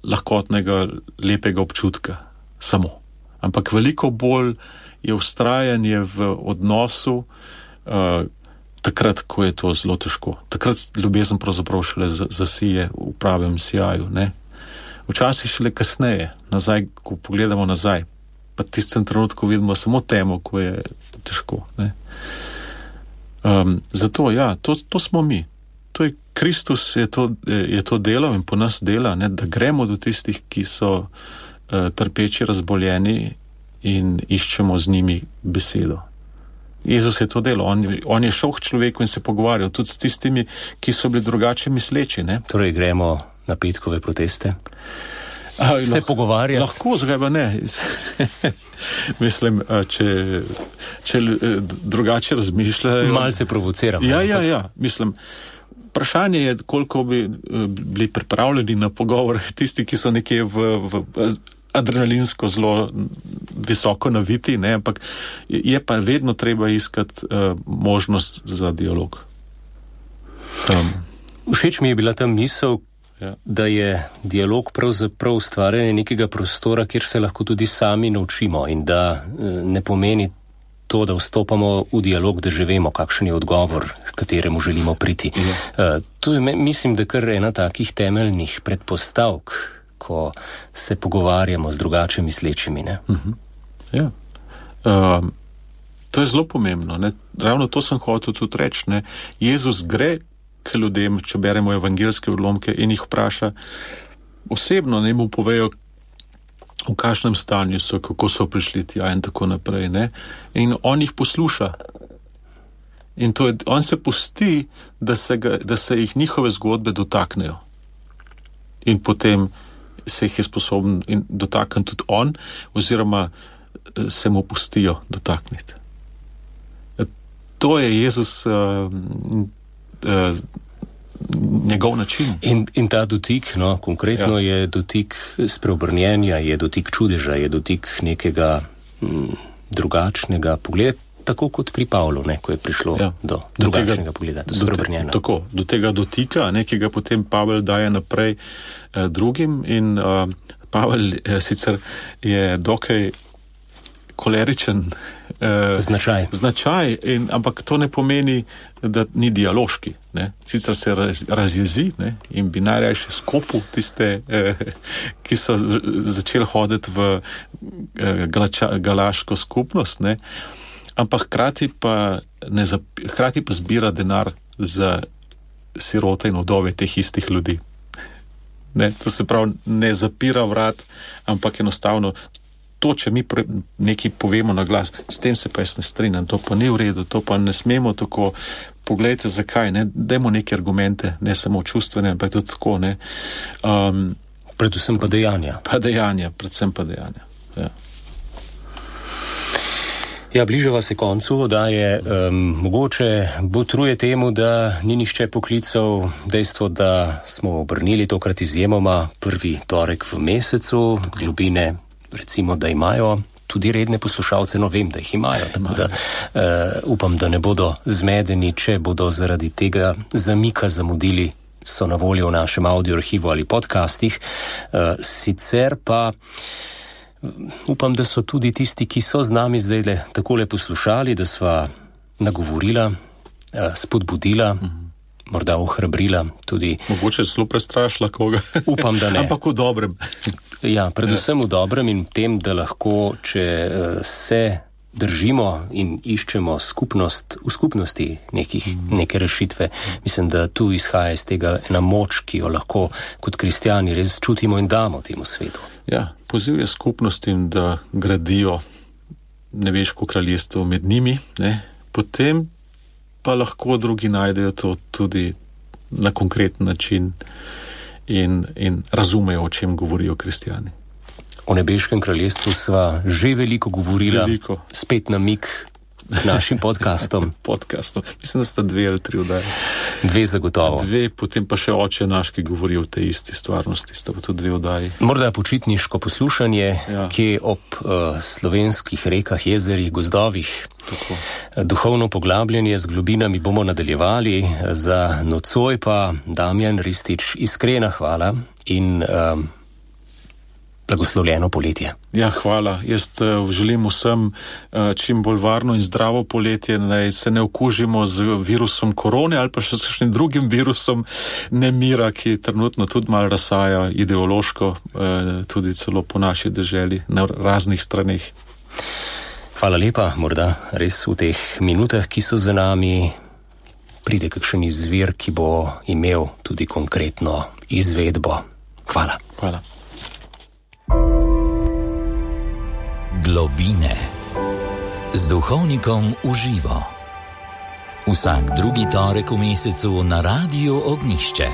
lahkotnega, lepega občutka samo, ampak veliko bolj je vztrajanje v odnosu, uh, takrat, ko je to zelo težko. Takrat ljubezen pravzaprav šele zasije v pravem sijaju, ne. Včasih šele kasneje, nazaj, ko pogledamo nazaj, pa tistem trenutku vidimo samo temo, ko je težko, ne. Um, zato, ja, to, to smo mi. To je Kristus je to, je to delal in po nas dela, ne, da gremo do tistih, ki so uh, trpeči, razboljeni in iščemo z njimi besedo. Jezus je to delal, on, on je šel k človeku in se pogovarjal tudi s tistimi, ki so bili drugače misleči, ne. Torej gremo na petkove proteste? A, se lahko, pogovarjati? Lahko, zakaj pa ne. Mislim, če, če drugače razmišljajo... Malce provociramo. Ja, ja, ja, mislim... Vprašanje je, koliko bi bili pripravljeni na pogovor tisti, ki so nekje v, v adrenalinsko zelo visoko naviti, ne, ampak je pa vedno treba iskati uh, možnost za dialog. Um. Všeč mi je bila ta misel, ja. Da je dialog pravzaprav ustvarjanje nekega prostora, kjer se lahko tudi sami naučimo in da uh, ne pomeni to, da vstopamo v dialog, da že vemo, kakšen je odgovor, kateremu želimo priti. Ja. Uh, to je, mislim, da kar ena takih temeljnih predpostavk, ko se pogovarjamo z drugače mislečimi, ne? Uh-huh. Ja. Um, to je zelo pomembno, ne? Ravno to sem hotel tudi reči, ne? Jezus gre k ljudem, če beremo evangelske odlomke in jih vpraša osebno, ne mu povejo, v kakšnem stanju so, kako so prišli tja in tako naprej, ne? In on jih posluša. In to je, on se pusti, da se, ga, da se jih njihove zgodbe dotaknejo. In potem se jih je sposoben in dotakniti tudi on, oziroma se mu pustijo dotakniti. To je Jezus uh, uh, njegov način. In, in ta dotik, no, konkretno ja. Je dotik spreobrnjenja, je dotik čudeža, je dotik nekega m, drugačnega pogleda, tako kot pri Pavlu, ne, ko je prišlo ja. do, do drugačnega tega, pogleda, do spreobrnjenja. Do, tako, do tega dotika, nekega potem Pavel daje naprej eh, drugim in eh, Pavel eh, sicer je dokaj koleričen eh, značaj, značaj in, ampak to ne pomeni, da ni dialoški. Ne. Sicer se raz, razjezi, ne, in bi najrajše skopil tiste, eh, ki so začeli hoditi v eh, galača, galaško skupnost, ne, ampak hkrati pa, ne zap, hkrati pa zbira denar za sirote in vdove teh istih ljudi. Ne, to se pravi, ne zapira vrat, ampak enostavno to, če mi pre, nekaj povemo na glas, s tem se pa jaz ne strinjam, to pa ni v redu, to pa ne smemo tako, poglejte zakaj, ne, dajmo neke argumente, ne samo čustvene, ampak tudi tako, ne. Um, predvsem pa dejanja. Pa dejanja, predvsem pa dejanja, ja. Ja, bližava se koncu, da je um, mogoče botruje temu, da ni nihče poklical dejstvo, da smo obrnili tokrat izjemoma prvi torek v mesecu, Globine recimo, da imajo tudi redne poslušalce, no vem, da jih imajo, tako da uh, upam, da ne bodo zmedeni, če bodo zaradi tega zamika zamudili, so na voljo v našem audio arhivu ali podcastih. Uh, sicer pa upam, da so tudi tisti, ki so z nami zdaj takole poslušali, da sva nagovorila, uh, spodbudila, mm-hmm. morda ohrabrila tudi. Mogoče zelo prestrašila koga. Upam, da ne. Ampak v dobrem. Ja, predvsem v dobrem in tem, da lahko, če se držimo in iščemo skupnost, v skupnosti nekih, neke rešitve, mislim, da tu izhaja iz tega ena moč, ki jo lahko kot kristjani res čutimo in damo temu svetu. Ja, poziv je skupnostim, da gradijo nebeško kraljestvo med njimi, ne, potem pa lahko drugi najdejo to tudi na konkreten način in, in razumejo, o čem govorijo kristjani. O nebeškem kraljestvu sva že veliko govorila, veliko. Spet namik k našim podcastom. podcastom. Mislim, da sta dve ali tri vdaje. Dve zagotovo. Dve, potem pa še oče naš, ki govori o tej isti stvarnosti, sta pa tudi dve vdaji. Morda počitniško poslušanje, ja. Kje ob uh, slovenskih rekah, jezerih, gozdovih. Tako. Duhovno poglabljanje z globinami bomo nadaljevali, za nocoj pa Damjan Ristič, iskrena hvala in um, blagoslovljeno poletje. Ja, hvala. Jaz uh, želim vsem uh, čim bolj varno in zdravo poletje, naj se ne okužimo z virusom korone ali pa še s kakšnim drugim virusom nemira, ki trenutno tudi malo razsaja ideološko, uh, tudi celo po naši deželi na raznih straneh. Hvala lepa, morda res v teh minutah, ki so za nami, pride kakšen izvir, ki bo imel tudi konkretno izvedbo. Hvala. Hvala. Globine z duhovnikom v živo. Vsak drugi torek v mesecu na Radiu Ognjišče.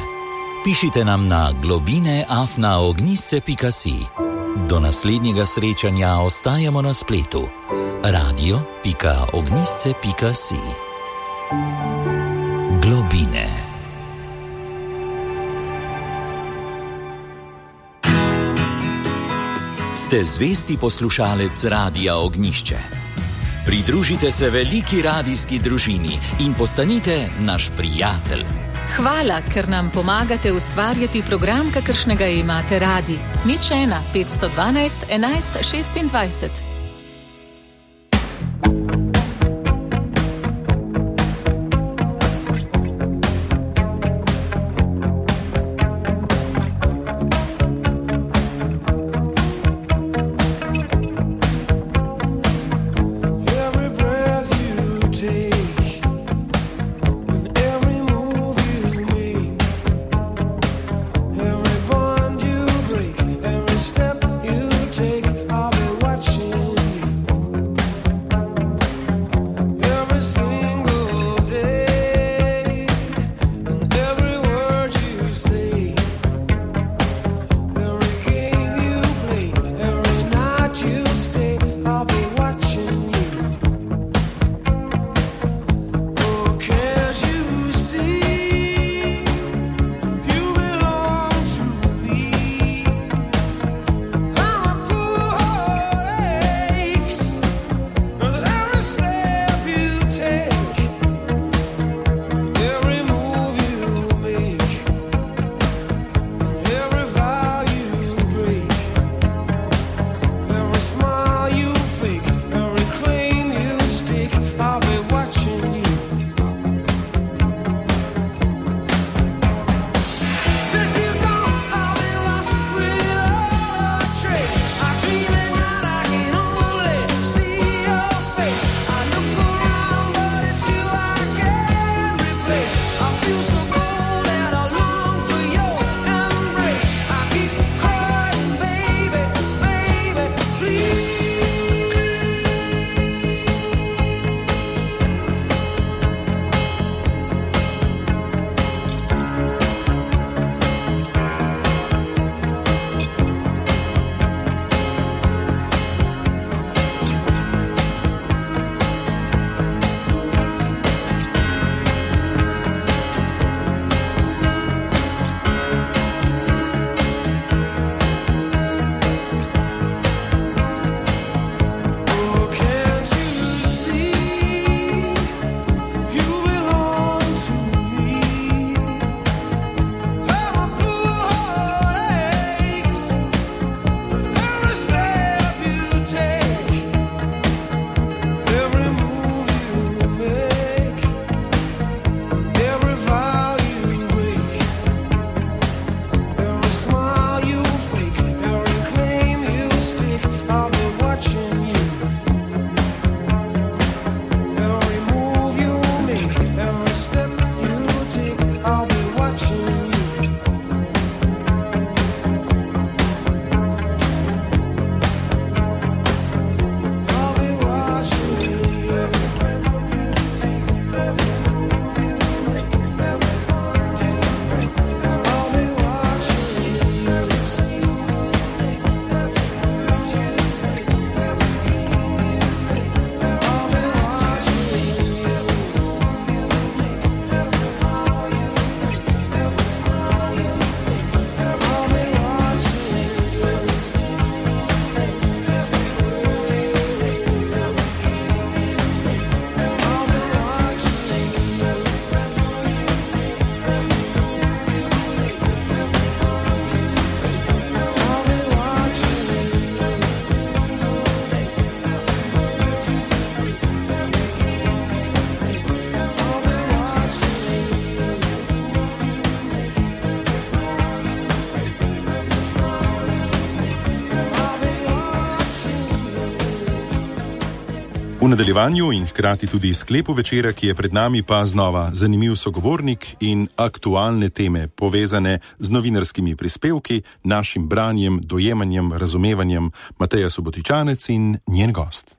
Pišite nam na globine afna ognjišče pika si. Do naslednjega srečanja ostajamo na spletu radio pika ognjišče pika si. Globine. Ste zvesti poslušalec Radia Ognjišče. Pridružite se veliki radijski družini in postanite naš prijatelj. Hvala, ker nam pomagate ustvarjati program, kakršnega imate radi. Nič ena, petsto dvanajst, enajst šestindvajset. V nadaljevanju in hkrati tudi sklepu večera, ki je pred nami, pa znova zanimiv sogovornik in aktualne teme, povezane z novinarskimi prispevki, našim branjem, dojemanjem, razumevanjem. Mateja Subotičanec in njen gost.